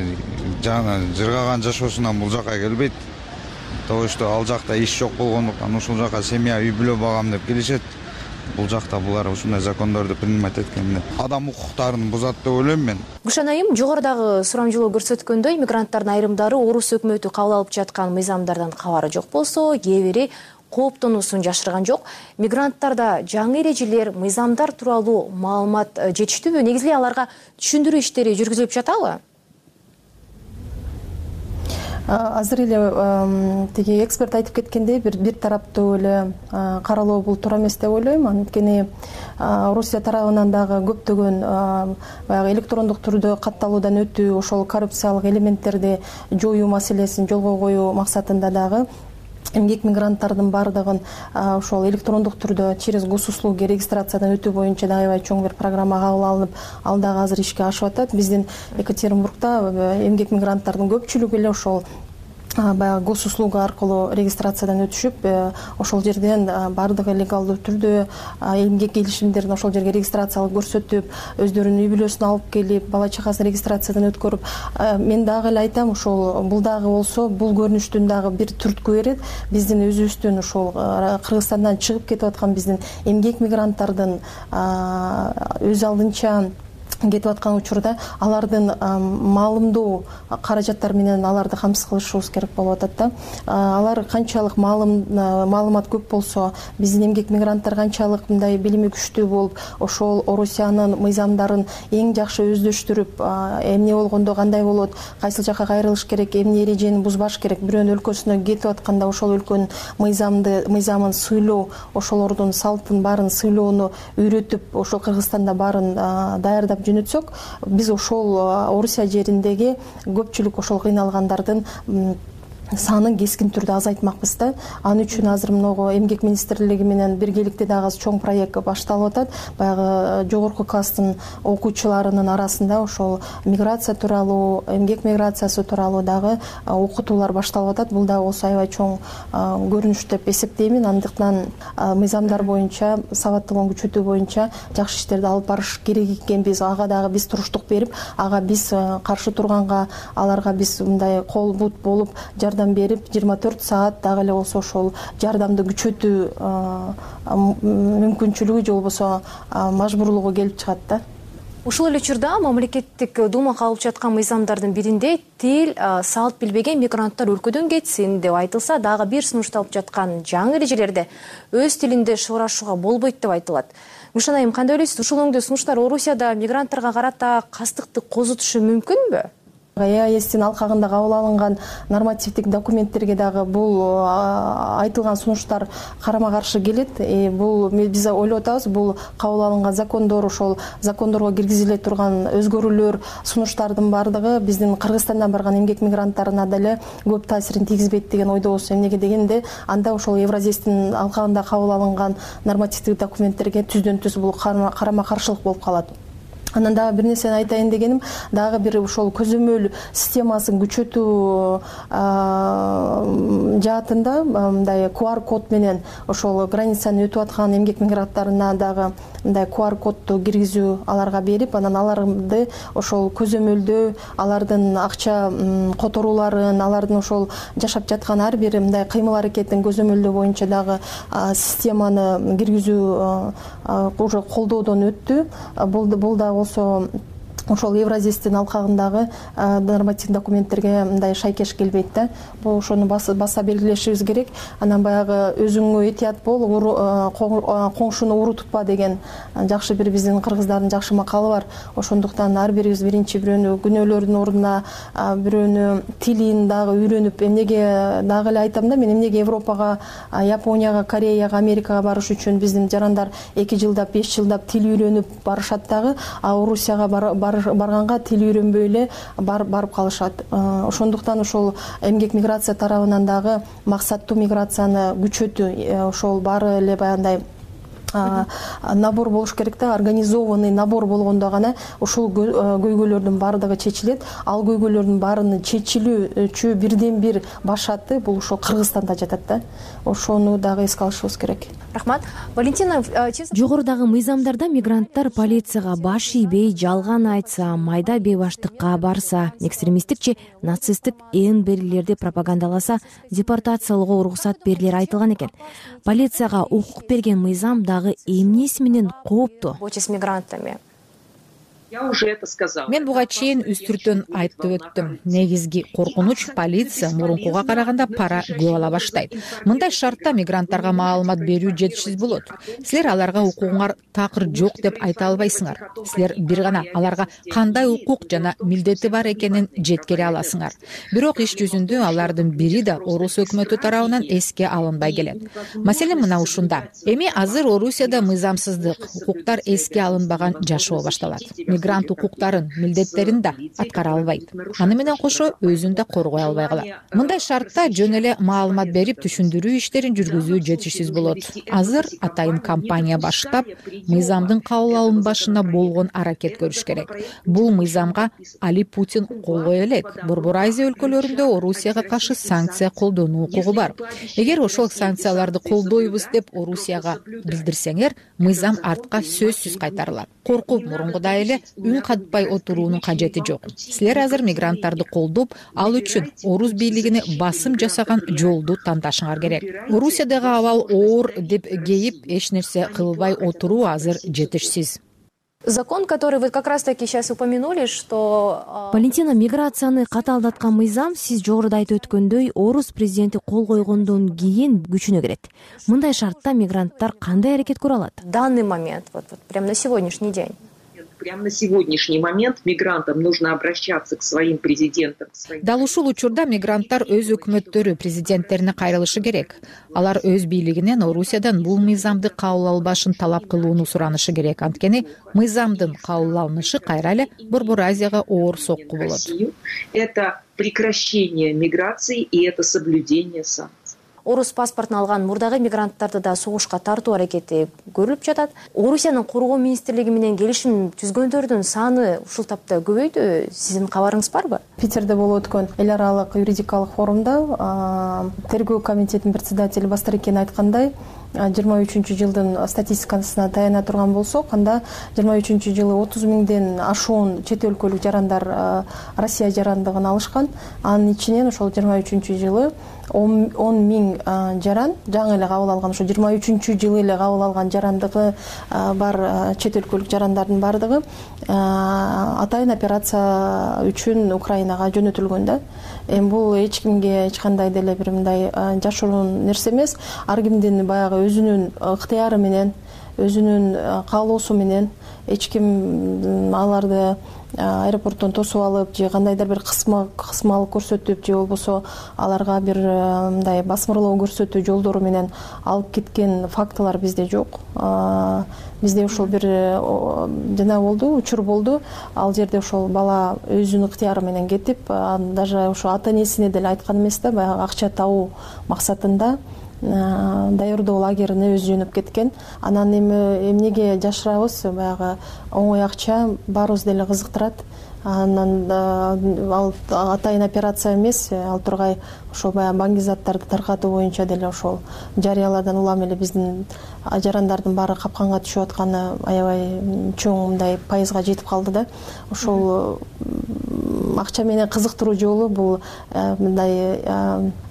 жана жыргаган жашоосунан бул жака келбейт. Того, что ал жакта иш жок болгондуктан ушул жака семья, үй бүлө багам деп келишет. Бул жакта булар ушундай закондорду принимать эткенде адам укуктарын бузат деп ойлойм мен. Гүлшан айым, жогорудагы сурамжылоо көрсөткөндөй, мигранттардын айрымдары орус өкмөтү кабыл алып жаткан мыйзамдардан кабары жок болсо, кээ бири кооптонуусун жашырган жок. Мигранттарда жаңы эрежелер, мыйзамдар тууралуу маалымат жетиштүүбү? Негизи аларга түшүндүрүү иштери жүргүзүлүп жатабы? Азыр эле тиги эксперт айтып кеткендей, бир тараптуу эле каралоо бул туура эмес деп ойлойм. Анткени Орусия тарабынан дагы көптөгөн баягы электрондук түрдө катталуудан өтүү, ошол коррупциялык элементтерди жоюу маселесин жолго коюу максатында дагы эмгек мигранттардын баардыгын ошол электрондук түрдө через госуслуги регистрациядан өтүү боюнча дагы аябай чоң бир программа кабыл алынып, ал дагы азыр ишке ашып атат. Биздин Екатеринбургда эмгек мигранттардын көпчүлүгү эле ошол баягы госуслуга аркылуу регистрациядан өтүшүп, ошол жерден баардыгы легалдуу түрдө эмгек келишимдерин ошол жерге регистрациялык көрсөтүп, өздөрүнүн үй бүлөсүн алып келип, бала чакасын регистрациядан өткөрүп, мен дагы эле айтам, ошол бул дагы болсо, бул көрүнүштүн дагы бир түрткү берет. Биздин өзүбүздүн ошол Кыргызстандан чыгып кетип аткан биздин эмгек мигранттардын өз алдынча кетип аткан учурда алардын маалымдоо каражаттары менен аларды камсыз кылышыбыз керек болуп атат да. Алар канчалык маалымат көп болсо, биздин эмгек мигранттар канчалык мындай билими күчтүү болуп, ошол Орусиянын мыйзамдарын эң жакшы өздөштүрүп, эмне болгондо кандай болот, кайсыл жака кайрылыш керек, эмне эрежени бузбаш керек, бирөөнүн өлкөсүнө кетип атканда ошол өлкөнүн мыйзамын сыйлоо, ошолордун салтын баарын сыйлоону үйрөтүп, ошол Кыргызстанда баарын даярдап жөнөтсөк, биз ошол Орусия жериндеги көпчүлүк ошол кыйналгандардын санын кескин түрдө азайтмакпыз да. Ал үчүн азыр многу эмгек министрлиги менен биргеликте дагы чоң проект башталып атат. Баягы жогорку класстын окуучуларынын арасында ошол миграция тууралуу, эмгек миграциясы тууралуу дагы окутуулар башталып атат. Бул дагы болсо аябай чоң көрүнүш деп эсептеймин. Андыктан мыйзамдар боюнча, сабаттуулугун күчөтүү боюнча жакшы иштерди алып барыш керек экенбиз. Ага дагы биз туруштук берип, ага биз каршы турганга, аларга биз мындай кол бут болуп жардам берип, 24 саат дагы эле болсо ошол жардамды күчөтүү мүмкүнчүлүгү же болбосо мажбурлугу келип чыгат да. Ушул эле учурда мамлекеттик дума кабыл жаткан мыйзамдардын биринде тил, салт билбеген мигранттар өлкөдөн кетсин деп айтылса, дагы бир сунушталып жаткан жаңы эрежелерде өз тилинде сурашууга болбойт деп айтылат. Гүлшан айым, кандай ойлойсуз? Ушул өңдө сунуштар Орусияда мигранттарга карата кастыкты козутушу мүмкүнбү? EAS'тин алкагында кабыл алынган нормативдик документтерге дагы бул айтылган сунуштар карама каршы келет. Бул биз ойлоп атабыз, бул кабыл алынган закондор, ошол закондорго киргизиле турган өзгөрүүлөр, сунуштардын бардыгы биздин Кыргызстандан барган эмгек мигранттарына деле көп таасирин тийгизбейт деген ойдобуз. Эмнеге дегенде, анда ошол Евразестин алкагында кабыл алынган нормативдик документтерге түздөн түз бул карама каршылык болуп калат. Анан дагы бир нерсени айтайын дегеним, дагы бир ошол көзөмөл системасын күчөтүү жаатында мындай QR код менен ошол границаны өтүп аткан эмгек мигранттарына дагы мындай QR кодду киргизүү аларга берип, анан аларды ошол көзөмөлдөө, алардын акча которууларын, алардын ошол жашап жаткан ар бир мындай кыймыл аракетин көзөмөлдөө боюнча дагы системаны киргизүү уже колдоодон өттү. Бул да болсо ошол Евразестин алкагындагы нормативдик документтерге мындай шайкеш келбейт да. Бул ошону баса белгилешибиз керек. Анан баягы өзүңө этият бол, коңшуну уру тутпа деген жакшы бир биздин кыргыздардын жакшы макалы бар. Ошондуктан ар бирибиз биринчи бирөөнү күнөөлөрдүн ордуна бирөөнү тилин дагы үйрөнүп, эмнеге дагы эле айтам да, мен эмнеге Европага, Японияга, Кореяга, Америкага барыш үчүн биздин жарандар 2 жылдап, 5 жылдап тил үйрөнүп барышат дагы, а Орусияга барганга тил үйрөнбөй эле барып калышат. Ошондуктан ошол эмгек миграция тарабынан дагы максаттуу миграцияны күчөтүү, ошол баары эле баягындай набор болуш керек да, организованный набор болгондо гана ушул көйгөйлөрдүн баардыгы чечилет. Ал көйгөйлөрдүн баарынын чечилүүчү бирден бир башаты бул ошол Кыргызстанда жатат да. Ошону дагы эске алышыбыз керек. Рахмат. Валентина, жогорудагы мыйзамдарда мигранттар полицияга баш ийбей, жалган айтса, майда бейбаштыкка барса, экстремисттик нацисттик берилерди пропагандаласа, депортациялоого уруксат берилери айтылган экен. Полицияга укук берген мыйзам дагы эмнеси менен кооптуу? С мигрантами. Я уже это сказала. Мен буга чейин үстүртөн айтып өттүм. Негизги коркунуч полиция мурункуга караганда пара көп ала баштайт. Мындай шартта мигранттарга маалымат берүү жетишсиз болот. Силер аларга укугуңар такыр жок деп айта албайсыңар. Силер бир гана аларга кандай укук жана милдети бар экенин жеткире аласыңар. Бирок иш жүзүндө алардын бири да Орус өкмөтү тарабынан эске алынбай келет. Маселе мына ушунда. Эми азыр Орусияда мыйзамсыздык, укуктар эске алынбаган жашоо башталат. Мигрант укуктарын, милдеттерин да аткара албайт. Аны менен кошо өзүн да коргой албай калат. Мындай шартта жөн эле маалымат берип түшүндүрүү иштерин жүргүзүү жетишсиз болот. Азыр атайын компания баштап, мыйзамдын кабыл алынбашына болгон аракет көрүш керек. Бул мыйзамга Али Путин кол кое элек. Борбор Азия өлкөлөрүндө Орусияга каршы санкция колдонуу укугу бар. Эгер ошол санкцияларды колдойбуз деп Орусияга билдирсеңер, мыйзам артка сөзсүз кайтарылат. Коркуп мурункудай эле үн катпай отуруунун кажети жок. Силер азыр мигранттарды колдоп, ал үчүн Орус бийлигине басым жасаган жолду тандашыңар керек. Орусиядагы абал оор деп кейип, эч нерсе кылбай отуруу азыр жетишсиз. Закон, который вы как раз-таки сейчас упомянули, что... Валентина, миграцияны катаалдаткан мыйзам сиз жогоруда айтып өткөндөй Орус президенти кол койгондон кийин күчүнө кирет. Мындай шартта мигранттар кандай аракет көрө алат? В данный момент, вот прямо на сегодняшний день. Прямо на сегодняшний момент мигрантам нужно обращаться к своим президентам. Дал ушул учурда мигранттар өз өкмөттөрү, президенттерине кайрылышы керек. Алар өз бийлигинен Орусиядан бул мыйзамды кабыл албашын талап кылууну суранышы керек. Анткени мыйзамдын кабыл алынышы кайра эле Борбор Азияга оор сокку болот. Это прекращение миграции и это соблюдение санкций. Орус паспортун алган мурдагы мигранттарды да согушка тартуу аракети көрүлүп жатат. Орусиянын коргоо министрлиги менен келишим түзгөндөрдүн саны ушул тапта көбөйдү. Сиздин кабарыңыз барбы? Питерде болуп өткөн эл аралык юридикалык форумда тергөө комитетинин председатели Бастарыкин айткандай, 23 жылдын статистикасына таяна турган болсок, анда 23 жылы 30 миңден ашуун чет өлкөлүк жарандар Россия жарандыгын алышкан. Анын ичинен ошол 23 жылы 10 миң жаран жаңы эле кабыл алган, ошо 23 жылы эле кабыл алган жарандыгы бар чет өлкөлүк жарандардын бардыгы атайын операция үчүн Украинага жөнөтүлгөн да. Эми бул эч кимге эч кандай деле бир мындай жашыруун нерсе эмес. Ар кимдин баягы өзүнүн ыктыяры менен өзүнүн каалоосу менен эч ким аларды аэропорттон тосуп алып же кандайдыр бир кысмалык көрсөтүп же болбосо аларга бир мындай басмырлоо көрсөтүү жолдору менен алып кеткен фактылар бизде жок. Бизде ошол бир жана болду, учур болду. Ал жерде ошол бала өзүнүн ыктыяры менен кетип, даже ошо ата энесине деле айткан эмес да, баягы акча табуу максатында даярдоо лагерине өзү жөнөп кеткен. Анан эмнеге жашырабыз, баягы оңой акча баарыбыз деле кызыктырат. Анан ал атайын операция эмес, ал тургай ошол баягы баңгизаттарды таркатуу боюнча деле ошол жарыяладан улам эле биздин жарандардын баары капканга түшүп атканы аябай чоң мындай пайызга жетип калды да. Ошол акча менен кызыктыруу жолу бул мындай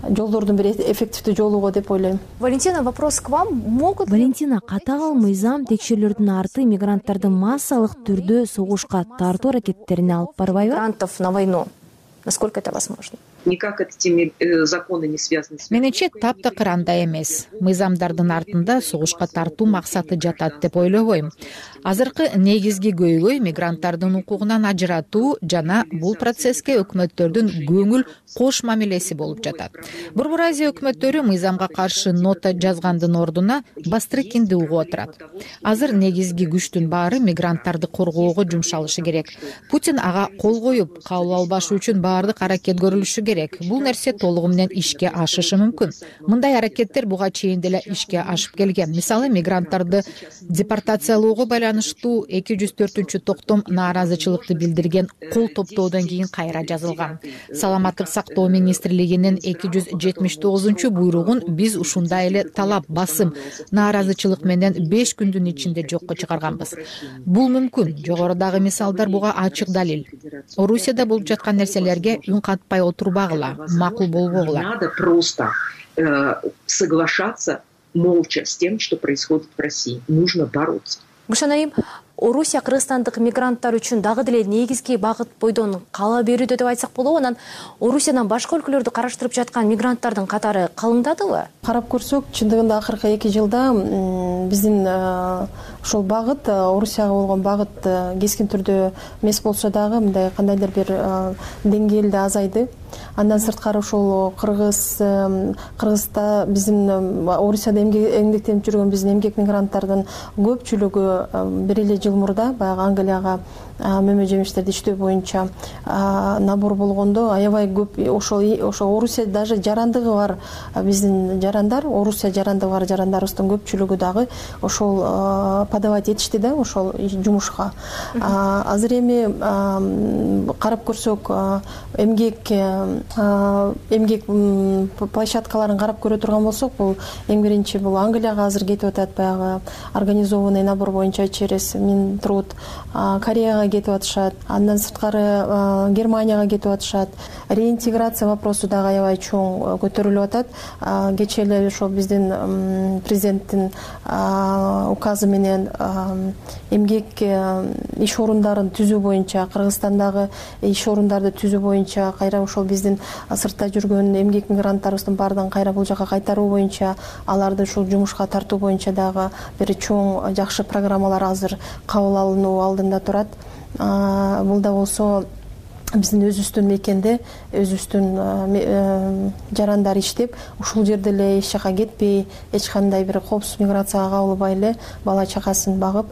жолдордун бир эффективдүү жолу го деп ойлойм. Валентина, вопрос к вам. Валентина, катагыл мыйзам текшерүүлөрдүн арты мигранттарды массалык түрдө согушка тартуу аракеттерине алып барбайбы? Мигрантов на войну. Насколько это возможно? Никак эти законы не связаны с... Менимче таптакыр андай эмес. Мыйзамдардын артында согушка тартуу максаты жатат деп ойлобойм. Азыркы негизги көйгөй мигранттардын укугунан ажыратуу жана бул процесске өкмөттөрдүн көңүл кош мамилеси болуп жатат. Борбор Азия өкмөттөрү мыйзамга каршы нота жазгандын ордуна Бастрыкинди угуп отурат. Азыр негизги күчтүн баары мигранттарды коргоого жумшалышы керек. Путин ага кол коюп, кабыл албашы үчүн баардык аракет көрүлүшү керек. Бул нерсе толугу менен ишке ашышы мүмкүн. Мындай аракеттер буга чейин деле ишке ашып келген. Мисалы, мигранттарды депортациялоого байланыштуу 204-токтом нааразычылыкты билдирген кол топтоодон кийин кайра жазылган. Саламаттык сактоо министрлигинин 279-буйругун биз ушундай эле талап, басым, нааразычылык менен 5 күндүн ичинде жокко чыгарганбыз. Бул мүмкүн. Жогорудагы мисалдар буга ачык далил. Орусияда болуп жаткан нерселерге үн катпай отурбагыла, макул болбогула. Надо просто соглашаться молча с тем, что происходит в России. Нужно бороться. Гүлшан айым, Орусия кыргызстандык мигранттар үчүн дагы деле негизги багыт бойдон кала берүүдө деп айтсак болобу. Анан Орусиядан башка өлкөлөрдү караштырып жаткан мигранттардын катары калыңдадыбы? Карап көрсөк, чындыгында акыркы 2 жылда биздин ошол багыт, Орусияга болгон багыт кескин түрдө эмес болсо дагы мындай кандайдыр бир деңгээлде азайды. Андан сырткары ошол Кыргызда биздин Орусияда эмгектенип жүргөн биздин эмгек мигранттардын көпчүлүгү бир эле жыл мурда баягы Англияга мөмө жемиштерди иштөө боюнча набор болгондо аябай көп ошол Орусия даже жарандыгы бар биздин жарандар, Орусия жарандыгы бар жарандарыбыздын көпчүлүгү дагы ошол подавать этишти да ошол жумушка. Азыр эми карап көрсөк, эмгек площадкаларын карап көрө турган болсок, бул эң биринчи бул Англияга азыр кетип атат, баягы организованный набор боюнча через Минтруд, Кореяга кетип атышат, андан сырткары Германияга кетип атышат. Реинтеграция вопросу дагы аябай чоң көтөрүлүп атат. Кечээ эле ошол биздин президенттин указы менен эмгек иш орундарын түзүү боюнча, Кыргызстандагы иш орундарды түзүү боюнча, кайра ошол биздин сыртта жүргөн эмгек мигранттарыбыздын баардыгын кайра бул жака кайтаруу боюнча, аларды ушул жумушка тартуу боюнча дагы бир чоң жакшы программалар азыр кабыл алынуу алдында турат. Бул да болсо биздин өзүбүздүн мекенде өзүбүздүн жарандар иштеп, ушул жерде эле эч жака кетпей, эч кандай бир коопсуз миграцияга кабылбай эле бала чакасын багып,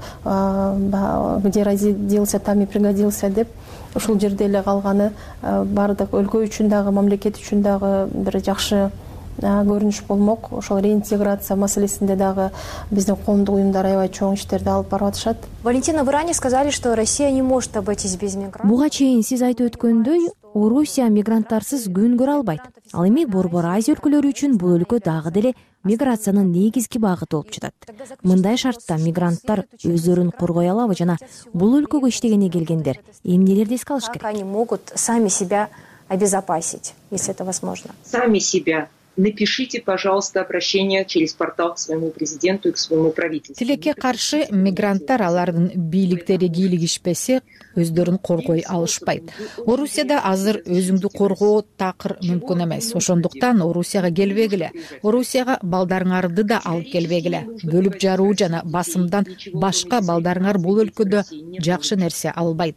где родился, там и пригодился деп ушул жерде эле калганы баардык өлкө үчүн дагы, мамлекет үчүн дагы бир жакшы көрүнүш болмок. Ошол реинтеграция маселесинде дагы биздин коомдук уюмдар аябай чоң иштерди алып барып атышат. Валентина, вы ранее сказали, что Россия не может обойтись без мигрантов. Буга чейин сиз айтып өткөндөй, Орусия мигранттарсыз күн көрө албайт. Ал эми Борбор Азия өлкөлөрү үчүн бул өлкө дагы деле миграциянын негизги багыты болуп жатат. Мындай шартта мигранттар өздөрүн коргой алабы жана бул өлкөгө иштегене келгендер эмнелерди эске алыш керек? Как они могут сами себя обезопасить, если это возможно? Сами себя напишите, пожалуйста, обращение через портал к своему президенту и к своему правительству. Тилекке каршы мигранттар алардын бийликтери кийлигишпесе өздөрүн коргой алышпайт. Орусияда азыр өзүңдү коргоо такыр мүмкүн эмес. Ошондуктан Орусияга келбегиле. Орусияга балдарыңарды да алып келбегиле. Бөлүп жаруу жана басымдан башка балдарыңар бул өлкөдө жакшы нерсе албайт.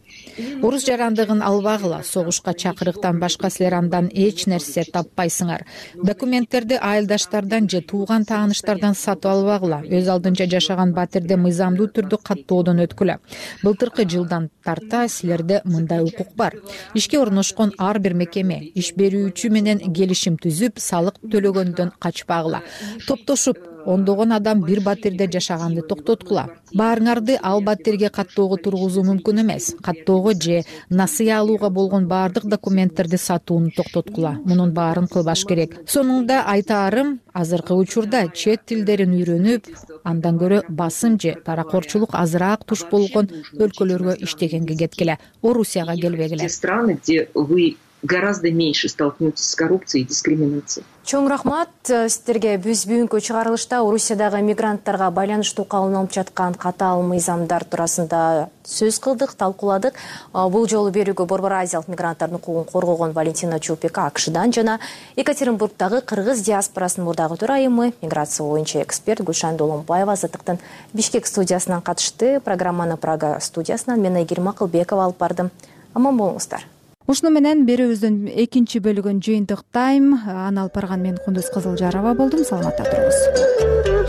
Орус жарандыгын албагыла. Согушка чакырыктан башка силер андан эч нерсе таппайсыңар. Документтерди айылдаштардан же тууган тааныштардан сатып албагыла. Өз алдынча жашаган батирде мыйзамдуу түрдө каттоодон өткүлө. Былтыркы жылдан тарта силерде мындай укук бар. Ишке орношкон ар бир мекеме иш берүүчү менен келишим түзүп, салык төлөгөндөн качпагыла. Топтошуп ондогон адам бир батирде жашаганды токтоткула. Баарыңарды ал батирге каттоого тургузуу мүмкүн эмес. Каттоого же насыя алууга болгон баардык документтерди сатууну токтоткула. Мунун баарын кылбаш керек. Сонунда айтаарым, азыркы учурда чет тилдерин үйрөнүп, андан көрө басым же паракорчулук азыраак туш болгон өлкөлөргө иштегенге кеткиле. Орусияга келбегиле. Страны, где вы гораздо меньше столкнетесь с коррупцией и дискриминацией. Чоң рахмат сиздерге. Биз бүгүнкү чыгарылышта Орусиядагы мигранттарга байланыштуу кабыл алынып жаткан катаал мыйзамдар туурасында сөз кылдык, талкууладык. Бул жолу берүүгө Борбор Азиялык мигранттардын укугун коргогон Валентина Чупика АКШдан жана Екатеринбургдагы кыргыз диаспорасынын мурдагы төрайымы, миграция боюнча эксперт Гүлшан Доломбаева Азаттыктын Бишкек студиясынан катышты. Программаны Прага студиясынан мен Айгерим Акылбекова алып бардым. Аман болуңуздар. Ушуну менен берүүбүздүн экинчи бөлүгүн жыйынтыктайм. Аны алып барган мен Кундуз Кызылжарова болдум. Саламатта туруңуз.